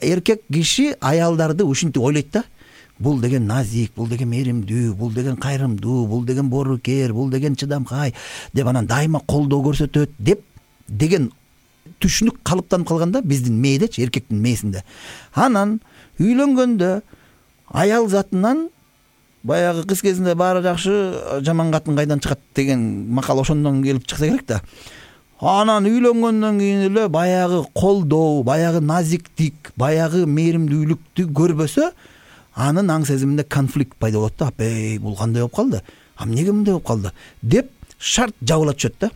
S2: Эркек киши аялдарды ушинтип ойлойт да. Бул деген назик, бул деген мээримдүү, бул деген кайрымдуу, бул деген боорукер, бул деген чыдамкай деп анан дайыма колдоо көрсөтөт деп деген түшүнүк калыптанып калганда биздин мээдечи, эркектин мээсинде. Анан үйлөнгөндө аял затынан баягы кыз кезинде баары жакшы, жаман катын кайдан чыгат деген макал ошондон келип чыкса керек да. Анан үйлөнгөндөн кийин эле баягы колдоо, баягы назиктик, баягы мээримдүүлүктү көрбөсө, анын аң сезиминде конфликт пайда болот да. Эй, бул кандай болуп калды? А эмнеге мындай болуп калды? Деп шарт жабыла түшөт да.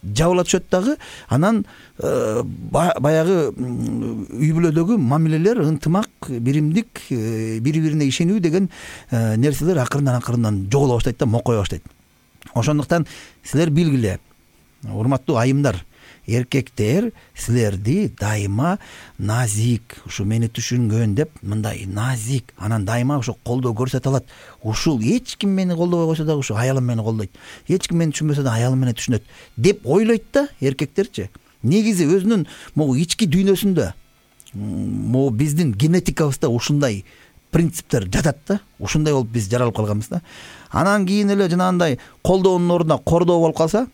S2: Жабыла түшөт дагы. Анан баягы үй бүлөдөгү мамилелер, ынтымак, биримдик, бири-бирине ишенүү деген нерселер акырындан акырындан жоголо баштайт да, мокое баштайт. Ошондуктан силер билгиле, урматтуу айымдар, эркектер силерди дайыма назик, ушу мени түшүнгөн деп мындай назик, анан дайыма ошо колдоо көрсөтө алат. Ушул эч ким мени колдобой койсо дагы ушу аялым мени колдойт. Эч ким мени түшүнбөсө да аялым мени түшүнөт деп ойлойт да эркектерчи. Негизи өзүнүн могу ички дүйнөсүндө, могу биздин генетикабызда ушундай принциптер жатат да. Ушундай болуп биз жаралып калганбыз да. Анан кийин эле жанагындай колдоонун ордуна кордоо болуп калса,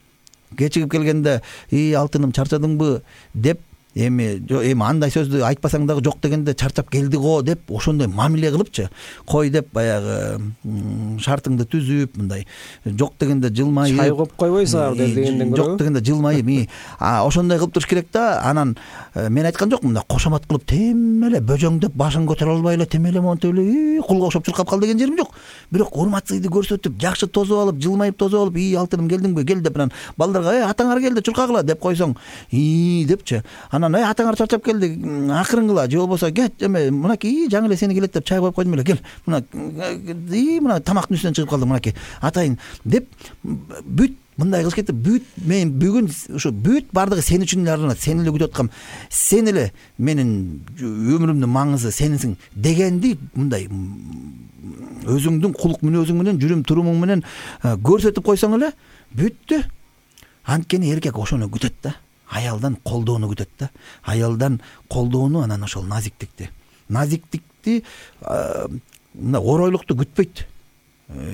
S2: кечигип келгенде, "И алтыным, чарчадыңбы?" деп, эми эми андай сөздү айтпасаң дагы жок дегенде чарчап келди го деп ошондой мамиле кылыпчы, кой деп баягы шартыңды түзүп, мындай жок дегенде жылмайып,
S3: чай коюп койбойсуңар дегенден көрө,
S2: жок дегенде жылмайып, и ошондой кылып туруш керек да. Анан мен айткан жокмун, мындай кошомат кылып тем эле бөжөңдөп башын көтөрө албай эле тем эле монтип эле кулга окшоп чуркап кал деген жерим жок. Бирок урматсыздык көрсөтүп, жакшы тосуп алып, жылмайып тосуп алып, "И алтыным, келдиңби? Кел" деп анан балдарга "Эй, атаңар келди, чуркагыла" деп койсоң, "И" депчи. Анан "Эй, атаңар чарчап келди, акырынгыла, же болбосо кет, эме мынакей жаңы эле сени келет деп чай коюп койдум эле, кел. Мына и мына тамактын үстүнөн чыгып калдым, мынакей атайын" деп бүт мындай кылыш кетип, бүт мен бүгүн ушу бүт бардыгы сен үчүн эле арналат, сени эле күтүп аткам, сен эле менин өмүрүмдүн маңызы сенсиң дегенди мындай өзүңдүн кулук мүнөзүң менен, жүрүм турумуң менен көрсөтүп койсоң эле бүттү. Анткени эркек ошону күтөт да. Аялдан колдоону күтөт да. Аялдан колдоону, анан ошол назиктикти. Назиктикти, мына оройлукту күтпөйт.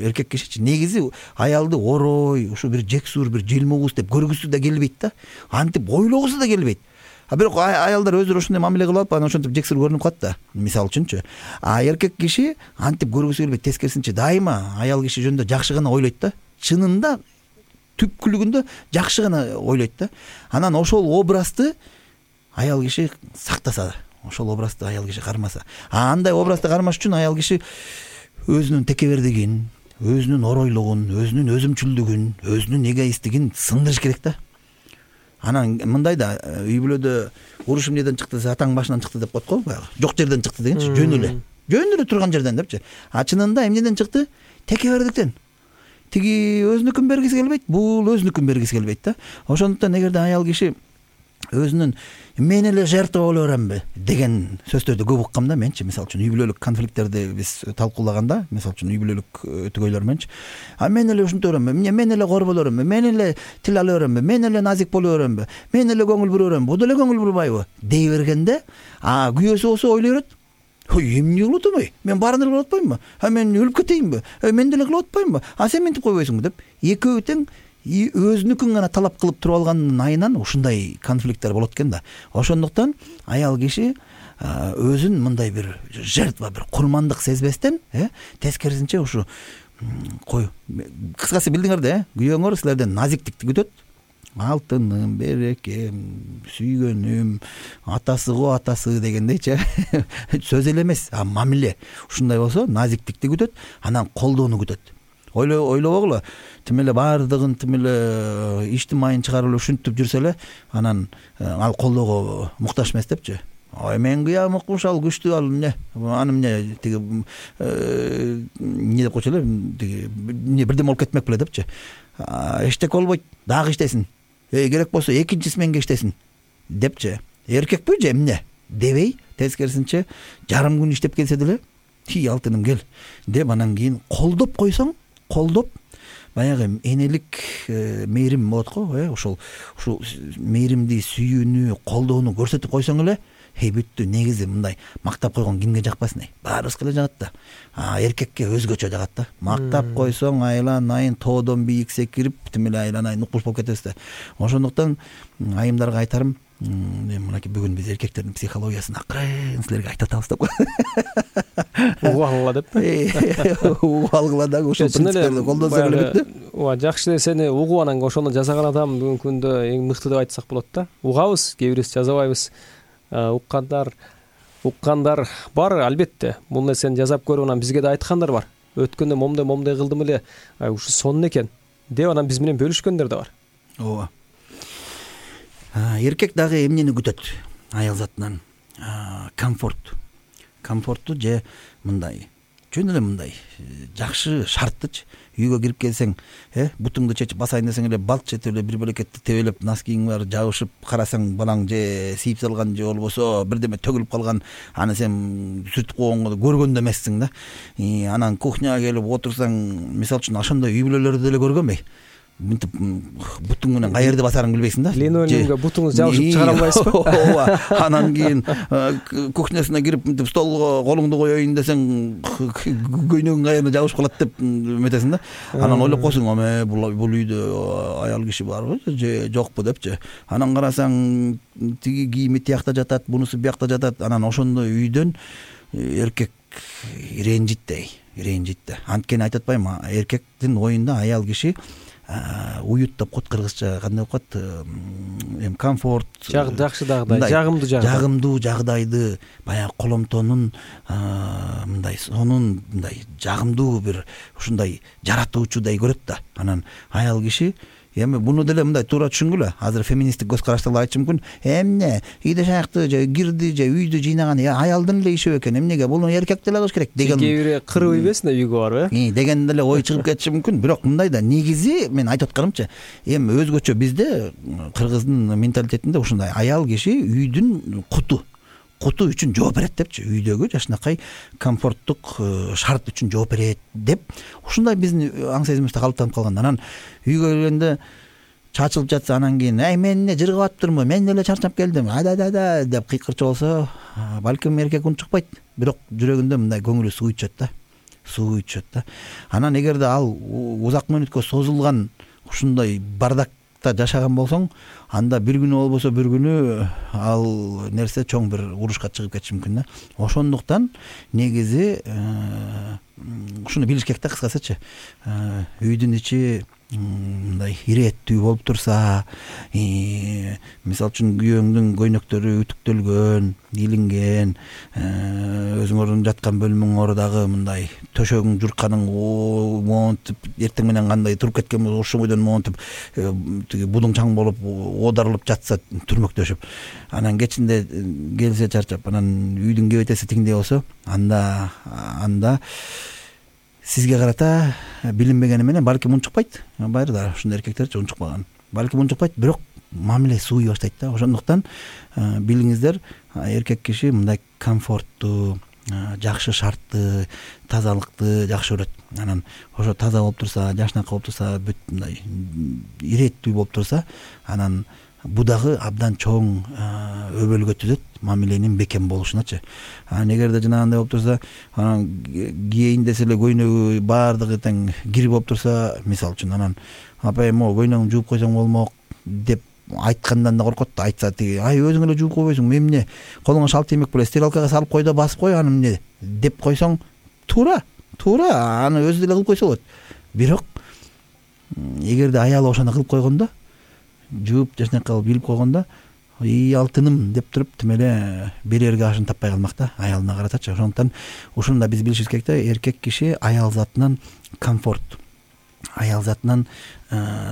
S2: Эркек кишичи негизи аялды орой, ушу бир жексур, бир желмугуз деп көргүсү да келбейт да. Антип ойлогусу да келбейт. А бирок аялдар өздөрү ошондой мамиле кылып алып, анан ошентип жексур көрүнүп калат да. Мисалы үчүнчү. А эркек киши антип көргүсү келбейт, тескерисинче дайыма аял киши жөнүндө жакшы гана ойлойт да. Чынында түпкүлүгүндө жакшы гана ойлойт да. Анан ошол образды аял киши сактаса, ошол образды аял киши кармаса. А андай образды кармаш үчүн аял киши өзүнүн текебердигин, өзүнүн оройлугун, өзүнүн өзүмчүлдүгүн, өзүнүн эгоисттигин сындырыш керек да. Анан мындай да, үй бүлөдө уруш эмнеден чыкты, атаң башынан чыкты деп коет го, баягы жок жерден чыкты дегенчи, жөн эле. Жөн эле турган жерден депчи. А чынында эмнеден чыкты? Текебердиктен. Тиги өзүнүкүн бергиси келбейт, бул өзүнүкүн бергиси келбейт да. Ошондуктан эгерде аял киши өзүнүн мен эле жертва боло беремби деген сөздөрдү көп уккам да менчи. Мисалы үчүн үй бүлөлүк конфликттерди биз талкуулаганда, мисалы үчүн үй бүлөлүк түгөйлөр менчи, а мен эле ушинте беремби, мен эле кор боло беремби, мен эле тил ала беремби, мен эле назик боло беремби, мен эле көңүл бура беремби, бу деле көңүл бурбайбы дей бергенде, а күйөөсү болсо ойлой берет. Ой, эмне кылып атам ай? Мен баарын эле кылып атпаймынбы? А мен өлүп кетейинби? Мен деле кылып атпаймынбы? А сен мынтип койбойсуңбу деп экөө тең өзүнүкүн гана талап кылып туруп алганын айынан ушундай конфликттер болот экен да. Ошондуктан аял киши өзүн мындай бир жертва, бир курмандык сезбестен, э, тескерисинче ушу кой, кыскасы билдиңер да, күйөөңөр силерден назиктикти күтөт. Алтыным, берекем, сүйгөнүм, атасы го атасы дегендейчи. Сөз эле эмес, а мамиле. Ушундай болсо назиктикти күтөт, анан колдоону күтөт. Ойло ойлобогула, тим эле баардыгын тим эле иштин майын чыгарып эле ушинтип жүрсө эле, анан ал колдоого муктаж эмес депчи. Ой, мен кыям укмуш, ал күчтүү, ал эмне? Аны эмне тиги эмне деп койчу эле, тиги эмне бирдеме болуп кетмек беле депчи. Эчтеке болбойт, дагы иштесин. Эй, керек болсо экинчи сменге иштесин депчи. Эркекпи же эмне дебей, тескерисинче жарым күн иштеп келсе деле, "Ти алтыным, кел" деп анан кийин колдоп койсоң, колдоп баягы энелик мээрим болот го, э ошол ушул мээримди, сүйүүнү, колдоону көрсөтүп койсоң эле эй бүттү. Негизи мындай мактап койгон кимге жакпасын, эй баарыбызга эле жагат да. А эркекке өзгөчө жагат да. Мактап койсоң айлан айын тоодон бийик секирип тим эле айлан айын укмуш болуп кетесиз да. Ошондуктан айымдарга айтарым, мынакей бүгүн биз эркектердин психологиясын акырын силерге айтып атабыз деп.
S3: Угуп алгыла деп.
S2: Угуп алгыла дагы ушул принциптерди колдонсоң эле бүттү.
S3: Ооба, жакшы сени угуп анан ошону жасаган адам бүгүнкү күндө эң мыкты деп айтсак болот да. Угабыз, кээ бирибиз жазабайбыз. Уккандар, уккандар бар албетте. Бул нерсени жазап көрүп анан бизге да айткандар бар. Өткөндө момундай момундай кылдым эле, ушу сонун экен деп анан биз менен бөлүшкөндөр да бар.
S2: Ооба. Эркек дагы эмнени күтөт аял затынан? Комфорт. Комфортту же мындай жөн эле мындай жакшы шарттычы. Үйгө кирип келсең, э бутуңду чечип басайын десең эле балт четип эле бир бөлекетти тебелеп, носкиң бар жабышып, карасаң балаң же сийип салган же болбосо бирдеме төгүлүп калган, аны сен сүртүп койгонго көргөн да эмессиң да. Анан кухняга келип отурсаң, мисалы үчүн ошондой үй бүлөлөрдү деле көргөнбөй. Мынтип бутуң менен каерде басарыңды билбейсиң да.
S3: Линолеумга бутуңузду жабышып чыгара албайсызбы?
S2: Ооба. Анан кийин кухнясына кирип мынтип столго колуңду коеюн десең, көйнөгүң каерде жабышып калат деп эметесиң да. Анан ойлоп койсуң, эме бул үйдө аял киши барбы же жокпу депчи. Анан карасаң, тиги кийими тиякта жатат, бунусу биякта жатат. Анан ошондой үйдөн эркек ренжит да, ренжит да. Анткени айтып атпайбы, эркектин оюнда аял киши уют деп кот кыргызча кандай болуп калат, эми комфорт,
S3: жакшы жагдай, жагымдуу жагдай,
S2: жагымдуу жагдайды, баягы коломтонун мындай сонун мындай жагымдуу бир ушундай жаратуучудай көрөт да. Анан аял киши эми буну деле мындай туура түшүнгүлө. Азыр феминисттик көз караштагы айтышы мүмкүн. Эмне үйдө шаякты же кирди же үйдү жыйнаган аялдын эле иши экен. Эмнеге бул эркек деле кылыш керек деген.
S3: Кээ бири кырып ийбесин да үйгө барып, э?
S2: Деген деле ой чыгып кетиши мүмкүн. Бирок мындай да, негизи мен айтып атканымча, эми өзгөчө бизде кыргыздын менталитетинде ушундай аял киши үйдүн куту куту үчүн жооп берет депчи. Үйдөгү жашынакай комфорттук шарт үчүн жооп берет деп ушундай биздин аң сезимибизде калыптанып калган. Анан үйгө келгенде чачылып жатса, анан кийин ай мен эмне жыргап атыптырмын, мен эле чарчап келдим, ада-да деп кыйкырчу болсо, балким эркек унчукпайт, бирок жүрөгүндө мындай көңүлү суу ичет да, суу ичет да. Анан эгерде ал узак мөөнөткө созулган ушундай бардакта жашаган болсоң, анда бир күнү болбосо бир күнү ал нерсе чоң бир урушка чыгып кетиши мүмкүн да. Ошондуктан негизи ушуну билиш керек да, кыскасычы. Үйдүн ичи мындай ирээттүү болуп турса, мисалы үчүн күйөөңдүн көйнөктөрү үтүктөлгөн, илинген, өзүңөрдүн жаткан бөлмөңөр дагы мындай төшөгүң журканың монтип, эртең менен кандай туруп кеткен болсо ошол бойдон монтип тиги будуң чаң болуп оодарылып жатса түрмөктөшүп, анан кечинде келсе чарчап, анан үйдүн кебетеси тиңдей болсо, анда анда сизге карата билинбегени менен балким унчукпайт. Байыр да ушундай эркектерчи унчукпаган. Балким унчукпайт, бирок мамиле сууй баштайт да. Ошондуктан билиңиздер, эркек киши мындай комфортту, жакшы шартты, тазалыкты жакшы көрөт. Анан ошо таза болуп турса, жашынакай болуп турса, бүт мындай ирээттүү болуп турса, анан бу дагы абдан чоң өбөлгө түзөт мамиленин бекем болушуначы. Анан эгерде жанагындай болуп турса, анан кийейин десе эле көйнөгү баардыгы тең кир болуп турса, мисалы үчүн анан апайым могу көйнөгүңдү жууп койсоң болмок деп айткандан да коркот да. Айтса тиги, ай өзүң эле жууп койбойсуң, мен эмне колуңа шал тиймек беле, стиралкага салып кой да басып кой, аны эмне деп койсоң, туура, туура, аны өзү деле кылып койсо болот. Бирок эгерде аялы ошону кылып койгондо, жууп жашынакай кылып илип койгондо, и алтыным деп туруп тим эле берерге ашын таппай калмак да аялына каратачы. Ошондуктан ушуну да биз билишибиз керек да, эркек киши аял затынан комфорт, аял затынан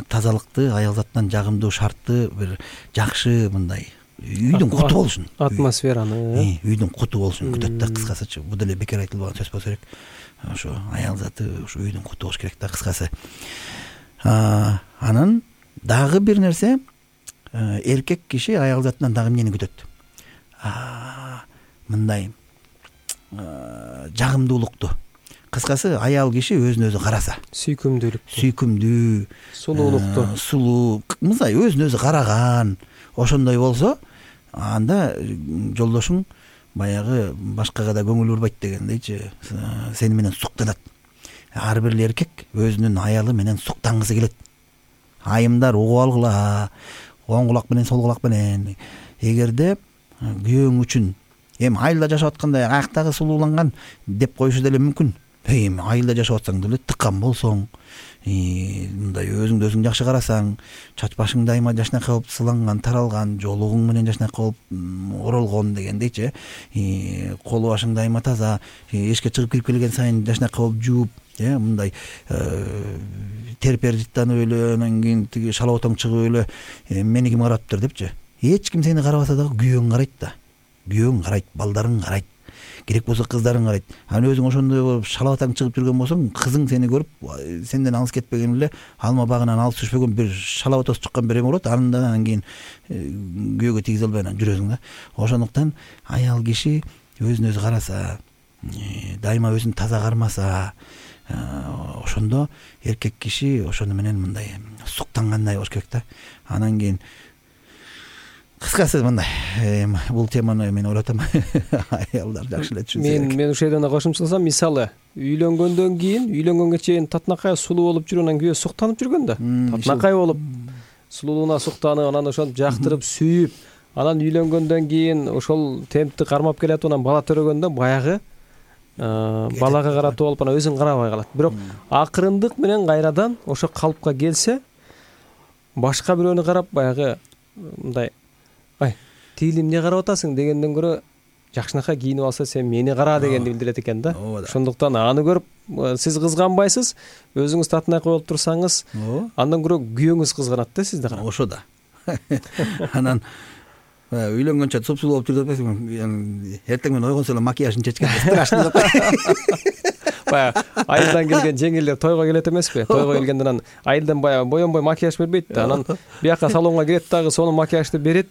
S2: тазалыкты, аял затынан жагымдуу шартты, бир жакшы мындай үйдүн куту болушун, атмосфераны, үйдүн куту болушун күтөт да, кыскасычы. Бул деле бекер айтылбаган сөз болсо керек. Ошо аял заты ушу үйдүн куту болуш керек да, кыскасы. Анан дагы бир нерсе, эркек киши аял затынан дагы эмнени күтөт? Мындай жагымдуулукту, кыскасы аял киши өзүн өзү караса,
S3: сүйкүмдүүлүктү,
S2: сүйкүмдүү,
S3: сулуулукту,
S2: сулуу, мындай өзүн өзү караган, ошондой болсо анда жолдошуң баягы башкага да көңүл бурбайт дегендейчи, сени менен суктанат. Ар бир эркек өзүнүн аялы менен суктангысы келет. Айымдар угуп алгыла, оң кулак менен сол кулак менен. Эгерде күйөөң үчүн эми айылда жашап атканда аяктагы сулууланган деп коюшу деле мүмкүн. Эми айылда жашап атсаң деле тыккан болсоң, мындай өзүңдү өзүң жакшы карасаң, чач башың дайыма жашнакай болуп сыланган, таралган, жолугуң менен жашнакай болуп оролгон дегендейчи, колу башың дайыма таза, эшикке чыгып кирип келген сайын жашнакай болуп жууп, э мындай терпер жыттанып эле, анан кийин тиги шалабатаң чыгып эле мени ким караптыр депчи. Эч ким сени карабаса дагы күйөөң карайт да. Күйөөң карайт, балдарың карайт. Керек болсо кыздарың карайт. Анан өзүң ошондой болуп шалабатаң чыгып жүргөн болсоң, кызың сени көрүп, сенден алыс кетпеген эле алма багынан алыс түшпөгөн бир шалабатасы чыккан бир эме болот. Андан кийин күйөөгө тийгизе албай анан жүрөсүң да. Ошондуктан аял киши өзүн өзү караса, дайыма өзүн таза кармаса, ошондо эркек киши ошону менен мындай суктангандай болуш керек да. Анан кийин кыскасы мындай, бул теманы мен ойлотом аялдар жакшы эле түшүнсө керек.
S3: Мен мен ушул жерден кошумчаласам, мисалы, үйлөнгөндөн кийин, үйлөнгөнгө чейин татынакай сулуу болуп жүрүп, анан күйөө суктанып жүргөн да. Татынакай болуп, сулуулугуна суктанып, анан ошентип жактырып, сүйүп, анан үйлөнгөндөн кийин ошол темпти кармап келатып, анан бала төрөгөндө баягы балага каратып алып, анан өзүн карабай калат. Бирок акырындык менен кайрадан ошо калыпка келсе, башка бирөөнү карап баягы мындай ай, тиили эмне карап атасың дегенден көрө жакшынакай кийинип алса сен мени кара дегенди билдирет экен да. Ошондуктан аны көрүп сиз кызганбайсыз, өзүңүз татынакай болуп турсаңыз, андан көрө күйөөңүз кызганат да сизди карап.
S2: Ошо да. Анан үйлөнгөнчө супсулуу болуп жүрүп атпайсыңбы? Эртең менен ойгонсо эле макияжын чечкен страшный деп.
S3: Баягы айылдан келген жеңилдер тойго келет эмеспи? Тойго келгенде анан айылдан баягы боенбой макияж бербейт да. Анан бияка салонго кирет дагы сонун макияжды берет.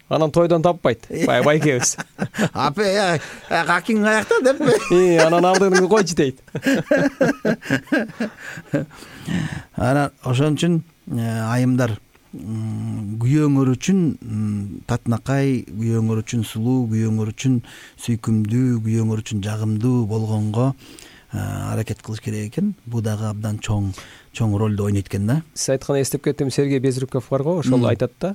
S3: Анан тойдон таппайт. Баягы байкебиз.
S2: Апе, акиң аякта деппи?
S3: Анан алдыңды койчу дейт.
S2: Анан ошон үчүн айымдар күйөөңөр үчүн татынакай, күйөөңөр үчүн сулуу, күйөөңөр үчүн сүйкүмдүү, күйөөңөр үчүн жагымдуу болгонго аракет кылыш керек экен. Бул дагы абдан чоң чоң ролду ойнойт экен да.
S3: Сиз айтканда эстеп кеттим, Сергей Безруков барго, ошол айтат да.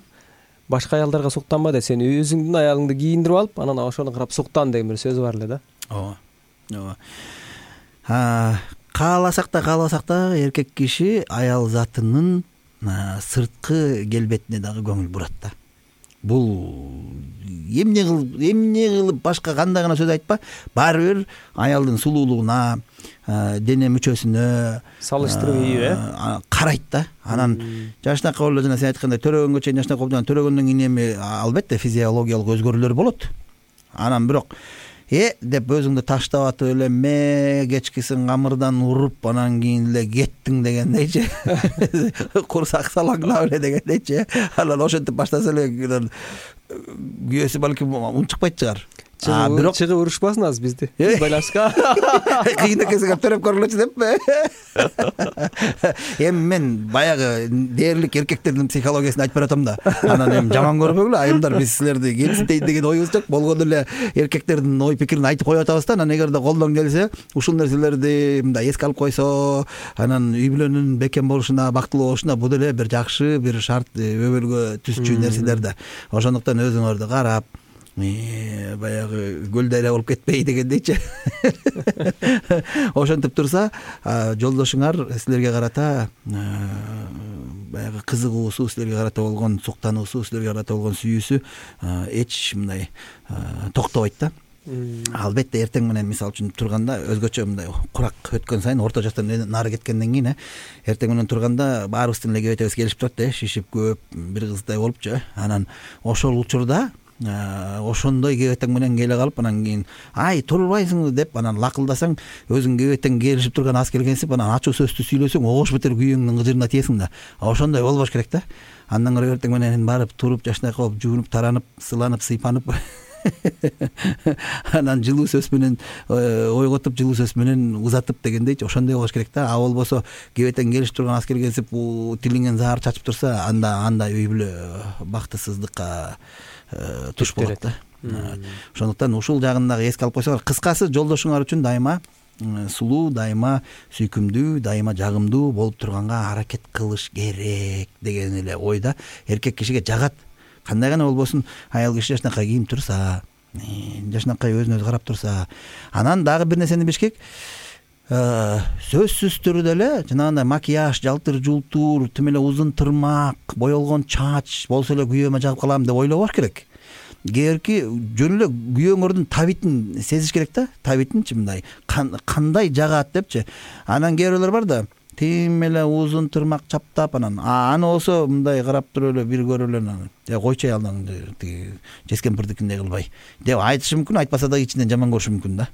S3: Башка аялдарга суктанба де, сен өзүңдүн аялыңды кийиндирип алып, анан ошону карап суктан деген бир сөзү бар эле да.
S2: Ооба. Ооба. Кааласак да, каалабасак да эркек киши аял затынын сырткы келбетине дагы көңүл бурат да. Бул эмне кылып, эмне кылып башка кандай гана сөз айтпа, баары бир аялдын сулуулугуна, дене мүчөсүнө
S3: салыштырып ийип э
S2: карайт да. Анан жашнакай болуп, жана сен айткандай төрөгөнгө чейин жашнакай болуп, төрөгөндөн кийин эми албетте физиологиялык өзгөрүүлөр болот. Анан бирок э деп өзүңдү таштап атып эле ме кечкисин камырдан уруп, анан кийин эле кеттиң дегендейчи. Курсак салаңдап эле дегендейчи. Анан ошентип баштаса эле күйөөсү балким унчукпайт чыгар.
S3: Бирок чыгып урушпасын азыр бизди. Байлашка.
S2: Кийин экесиңер төрөп көргүлөчү деппи? Эми мен баягы дээрлик эркектердин психологиясын айтып баратам да. Анан эми жаман көрбөгүлө айымдар, биз силерди кемсинтейин деген оюбуз жок. Болгону эле эркектердин ой пикирин айтып коюп атабыз да. Анан эгерде колдон келсе, ушул нерселерди мындай эске алып койсо, анан үй бүлөнүн бекем болушуна, бактылуу болушуна бул деле бир жакшы бир шарт, өбөлгө түзчү нерселер да. Ошондуктан өзүңөрдү карап, баягы көл дайра болуп кетпей дегендейчи. Ошентип турса, жолдошуңар силерге карата баягы кызыгуусу, силерге карата болгон суктануусу, силерге карата болгон сүйүүсү эч мындай токтобойт да. Албетте эртең менен мисалы үчүн турганда өзгөчө мындай курак өткөн сайын, орто жаштан нары кеткенден кийин эртең менен турганда баарыбыздын эле кебетебиз келишип турат да, шишип көп бир кыздай болупчу. Анан ошол учурда ошондой кебетең менен келе калып, анан кийин ай турбайсыңбы деп анан лакылдасаң, өзүң кебетең келишип турган аз келгенсип, анан ачуу сөздү сүйлөсөң, огош бетер күйөөңдүн кыжырына тиесиң да. Ошондой болбош керек да. Андан көрө эртең менен барып туруп, жашнакай болуп, жуунуп, таранып, сыланып, сыйпанып анан жылуу сөз менен ойготуп жылуу сөз менен узатып дегендейчи ошондой болуш керек да. А болбосо кебетен келип турган аскер келип тилиңен заар чачып турса анда анда үй бүлө бактысыздыкка туш болот да. Ошондуктан ушул жагын дагы эске алып койсоңор, кыскасы жолдошуңар үчүн дайыма сулуу, дайыма сүйкүмдүү, дайыма жагымдуу болуп турганга аракет кылыш керек деген эле ойда. Эркек кишиге жагат. Кандай гана болбосун, аял киши жашынакай кийип турса, жашынакай өзүнө өзү карап турса, анан дагы бир нерсени билиш керек. Сөзсүз түрдө эле жанагындай макияж, жалтыр жултур, тим эле узун тырмак, боелгон чач болсо эле күйөөмө жагып калам деп ойлобош керек. Кээерки жөн эле күйөөңөрдүн табитин сезиш керек да. Табитинчи мындай кандай жагат депчи. Анан кээ бирлер бар да, тим эле узун тырмак чаптап анан аны болсо мындай карап туруп эле бир көрүп эле анан койчу аялдан тиги жескемпирдикиндей кылбай деп айтышы мүмкүн, айтпаса да ичинен жаман көрүшү мүмкүн да.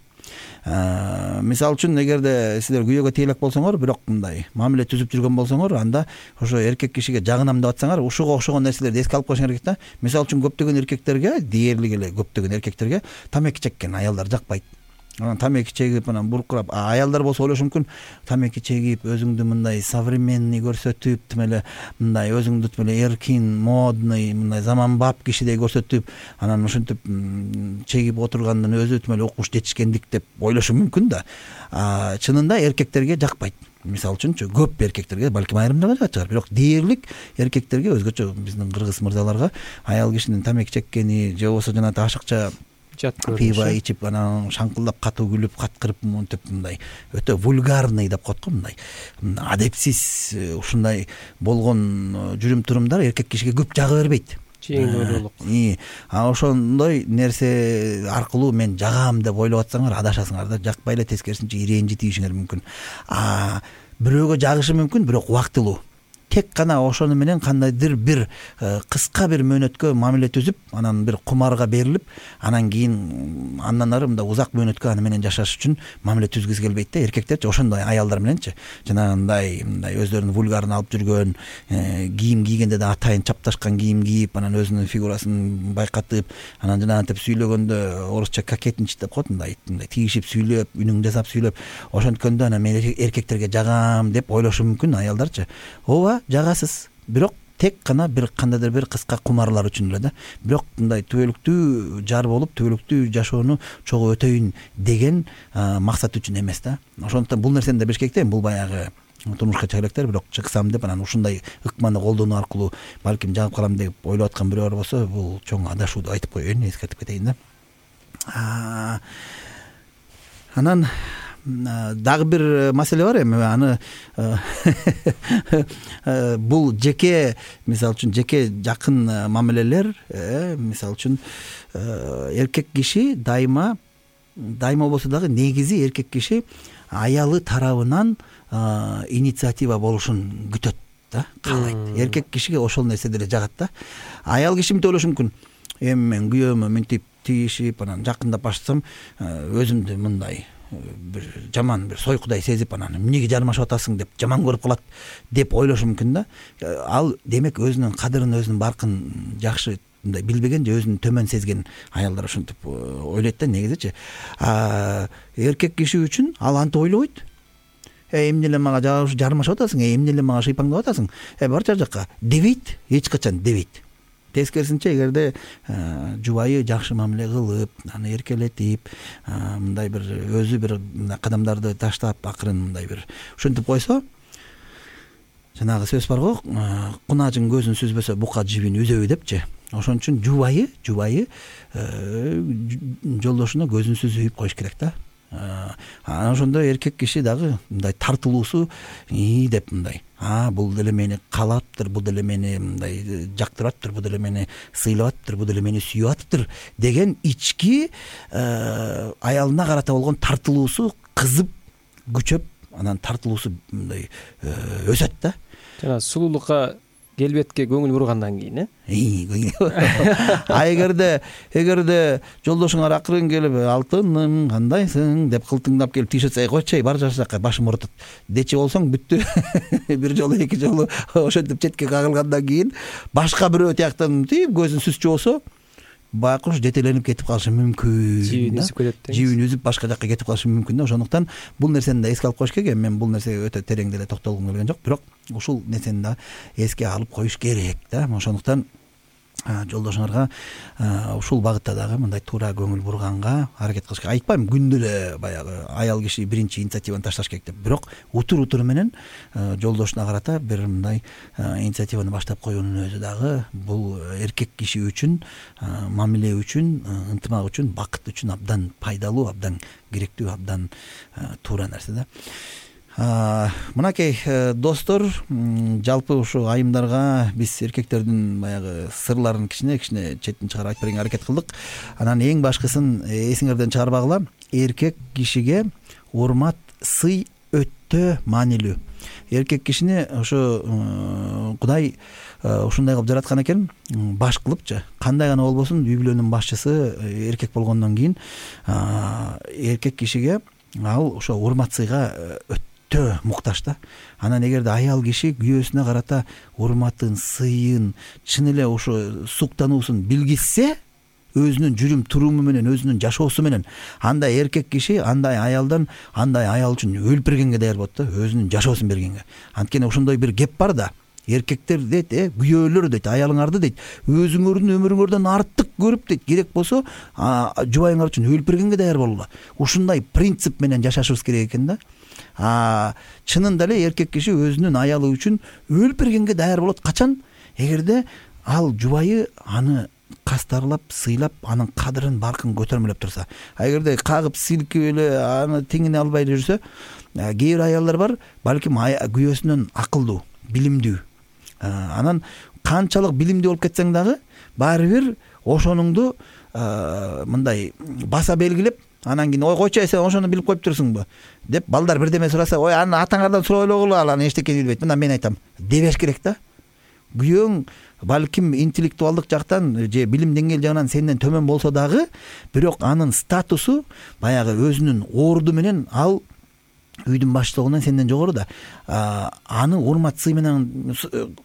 S2: Мисалы үчүн эгерде силер күйөөгө тие элек болсоңор, бирок мындай мамиле түзүп жүргөн болсоңор, анда ошо эркек кишиге жагынам деп атсаңар, ушуга окшогон нерселерди эске алып коюшуң керек да. Мисалы үчүн көптөгөн эркектерге, дээрлик эле көптөгөн эркектерге тамеки чеккен аялдар жакпайт. Анан тамеки чегип анан буркурап, аялдар болсо ойлошу мүмкүн, тамеки чегип өзүңдү мындай современный көрсөтүп, тим эле мындай өзүңдү тим эле эркин, модный, мындай заманбап кишидей көрсөтүп, анан ошентип чегип отургандын өзү тим эле укмуш жетишкендик деп ойлошу мүмкүн да. Чынында эркектерге жакпайт. Мисалы үчүнчү көп эркектерге, балким айрымдарга жагат чыгар, бирок дээрлик эркектерге, өзгөчө биздин кыргыз мырзаларга аял кишинин тамеки чеккени же болбосо жана ашыкча пиво ичип анан шаңкылдап катуу күлүп каткырып монтип мындай өтө вульгарный деп коет го, мындай адепсиз ушундай болгон жүрүм турумдар эркек кишиге көп жага бербейт.
S3: Чейиндүүлүк.
S2: А ошондой нерсе аркылуу мен жагам деп ойлоп атсаңар адашасыңар да. Жакпай эле тескерисинче ирэнжи тийишиңер мүмкүн. А бирөөгө жагышы мүмкүн, бирок убактылуу. Тек гана ошону менен кандайдыр бир кыска бир мөөнөткө мамиле түзүп, анан бир кумарга берилип, анан кийин андан ары мындай узак мөөнөткө аны менен жашаш үчүн мамиле түзгүсү келбейт да. Эркектерчи ошондой аялдар мененчи жанагындай мындай өздөрүнүн вульгарын алып жүргөн, кийим кийгенде да атайын чапташкан кийим кийип, анан өзүнүн фигурасын байкатып, анан жанагынтип сүйлөгөндө орусча кокетничать деп коет, мындай мындай тийишип сүйлөп, үнүң жасап сүйлөп, ошонткөндө анан мен эркектерге жагам деп ойлошу мүмкүн аялдарчы. Ооба, жагасыз, бирок тек гана бир кандайдыр бир кыска кумарлар үчүн эле да. Бирок мындай түбөлүктүү жар болуп, түбөлүктүү жашоону чогуу өтөйүн деген максат үчүн эмес да. Ошондуктан бул нерсени да билиш керек да. Бул баягы турмушка чыга электер, бирок чыксам деп анан ушундай ыкманы колдонуу аркылуу балким жагып калам деп ойлоп аткан бирөөр болсо, бул чоң адашуу деп айтып коеюн, эскертип кетейин да. Анан дагы бир маселе бар эми, аны бул жеке, мисалы үчүн жеке жакын мамилелер, мисалы үчүн эркек киши дайыма дайыма болбосо дагы негизи эркек киши аялы тарабынан инициатива болушун күтөт да, каалайт. Эркек кишиге ошол нерсе деле жагат да. Аял киши мынтип ойлошу мүмкүн, эми мен күйөөмө мынтип тийишип анан жакындап баштасам, өзүмдү мындай бир жаман бир сойкудай сезип, анан эмнеге жармашып атасың деп жаман көрүп калат деп ойлошу мүмкүн да. Ал демек өзүнүн кадырын, өзүнүн баркын жакшы мындай билбеген же өзүнүн төмөн сезген аялдар ошентип ойлойт да негизичи. Эркек киши үчүн ал антип ойлобойт. Э эмне эле мага жармашып атасың, э эмне эле мага шыйпаңдап атасың, э бар жар жакка дебейт, эч качан дебейт. Тескерисинче, эгерде жубайы жакшы мамиле кылып, аны эркелетип, мындай бир өзү бир кадамдарды таштап, акырын мындай бир ушинтип койсо, жанагы сөз бар го, кунаажың көзүн сүзбөсө бука жибин үзөбү депчи. Ошон үчүн жубайы, жубайы жолдошуна көзүн сүзүп коюш керек да. Анан ошондо эркек киши дагы мындай тартылуусу ии деп мындай, а бул деле мени каалаптыр, бул деле мени мындай жактыраттыр, бул деле мени сыйлаптыр, бул деле мени сүйүп атыптыр деген ички аялына карата болгон тартылуусу кызып, күчөп, анан тартылуусу мындай өсөт да.
S3: Жана сулуулукка келбетке көңүл бургандан кийин, э?
S2: А эгерде эгерде жолдошуңар акырын келип, алтыным кандайсың деп кылтыңдап келип тийишет, койчу, бар жашакка башым оорутат дечи болсоң бүттү. Бир жолу, эки жолу ошентип четке кагылгандан кийин башка бирөө тияктан тип көзүн сүзчү болсо, байкуш жетеленип кетип калышы мүмкүн,
S3: жибин үзүп кетет дейсиз.
S2: Жибин үзүп башка жакка кетип калышы мүмкүн да. Ошондуктан бул нерсени да эске алып коюш керек. Мен бул нерсеге өтө терең деле токтолгум келген жок, бирок ушул нерсени да эске алып коюш керек да. Ошондуктан жолдошуңарга ушул багытта дагы мындай туура көңүл бурганга аракет кылыш керек. Айтпайм күндө эле баягы аял киши биринчи инициативаны ташташ керек деп, бирок утур утуру менен жолдошуна карата бир мындай инициативаны баштап коюунун өзү дагы бул эркек киши үчүн, мамиле үчүн, ынтымак үчүн, бакыт үчүн абдан пайдалуу, абдан керектүү, абдан туура нерсе да. Мынакей достор, жалпы ушу айымдарга биз эркектердин баягы сырларын кичине кичине четтен чыгарып айтып бергенге аракет кылдык. Анан эң башкысын эсиңерден чыгарбагыла, эркек кишиге урмат, сый өтө маанилүү. Эркек кишини ошо Кудай ушундай кылып жараткан экен, баш кылыпчы. Кандай гана болбосун, үй бүлөнүн башчысы эркек болгондон кийин эркек кишиге ал ошо урмат, сыйга өтө муктаж да. Анан эгерде аял киши күйөөсүнө карата урматын, сыйын, чын эле ошо суктануусун билгизсе, өзүнүн жүрүм туруму менен, өзүнүн жашоосу менен, андай эркек киши андай аялдан, андай аял үчүн өлүп бергенге даяр болот да, өзүнүн жашоосун бергенге. Анткени ошондой бир кеп бар да. Эркектер дейт, э, күйөөлөр дейт, аялыңарды дейт, өзүңөрдүн өмүрүңөрдөн артык көрүп дейт, керек болсо жубайыңар үчүн өлүп бергенге даяр болула. Ушундай принцип менен жашашыбыз керек экен да. А чынында эле эркек киши өзүнүн аялы үчүн өлүп бергенге даяр болот. Качан? Эгерде ал жубайы аны кастарлап, сыйлап, анын кадырын, баркын көтөрмөлөп турса. А эгерде кагып, силкип эле аны теңине албай эле жүрсө, кээ бир аялдар бар, балким күйөөсүнөн акылдуу, билимдүү. Анан канчалык билимдүү болуп кетсең дагы, баары бир ошонуңду мындай баса белгилеп, анан кийин ой койчу, сен ошону билип коюп турсуңбу деп балдар бирдеме сураса, ой аны атаңардан сурап элегула, ал аны эчтекени билбейт. Мына мен айтам, дебеш керек да. Күйөөң балким интеллектуалдык жактан же билим деңгээл жагынан сенден төмөн болсо дагы, бирок анын статусу баягы өзүнүн орду менен ал үйдүн баштыгынан сенден жогору да. Аны урмат, сый менен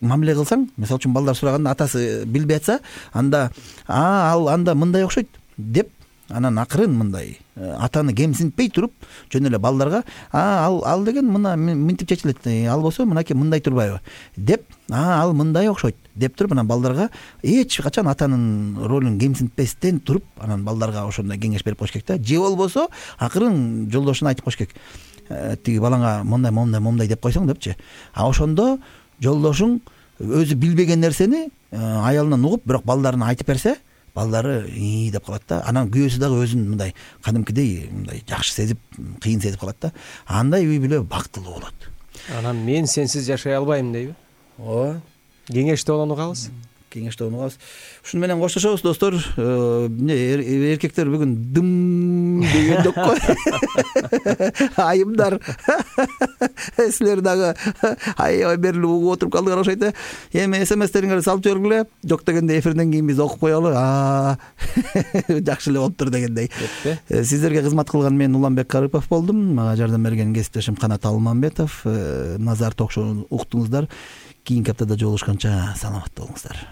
S2: мамиле кылсаң, мисалы үчүн балдар сураганда атасы билбей атса, анда а ал анда мындай окшойт деп, анан акырын мындай атаны кемсинтпей туруп, жөн эле балдарга а ал ал деген мына мынтип чечилет, ал болсо мынакей мындай турбайбы деп, а ал мындай окшойт деп туруп, анан балдарга эч качан атанын ролун кемсинтпестен туруп, анан балдарга ошондой кеңеш берип коюш керек да. Же болбосо акырын жолдошуна айтып коюш керек, тиги балаңа мондай мондай мондай деп койсоң депчи. А ошондо жолдошуң өзү билбеген нерсени аялынан угуп, бирок балдарына айтып берсе, балдары ии деп калат да. Анан күйөөсү дагы өзүн мындай кадимкидей мындай жакшы сезип, кыйын сезип калат да. Андай үй бүлө бактылуу болот. Анан
S3: мен сенсиз жашай албайм дейби?
S2: Ооба.
S3: Кеңеште болону калабыз.
S2: Кеңеште болону калабыз. Ушуну менен коштошобуз достор. Эркектер бүгүн дым деген жок го. Айымдар. Силер дагы аябай берилип угуп отуруп калдыңар окшойт э. Эми смстериңерди салып жибергиле. Жок дегенде эфирден кийин биз окуп коелу. А жакшы эле болуптур дегендей. Сиздерге кызмат кылган мен Уланбек Карыпов болдум. Мага жардам берген кесиптешим Канат Алмамбетов. Назар ток шоуну уктуңуздар. Кийинки аптада жолугушканча саламатта болуңуздар.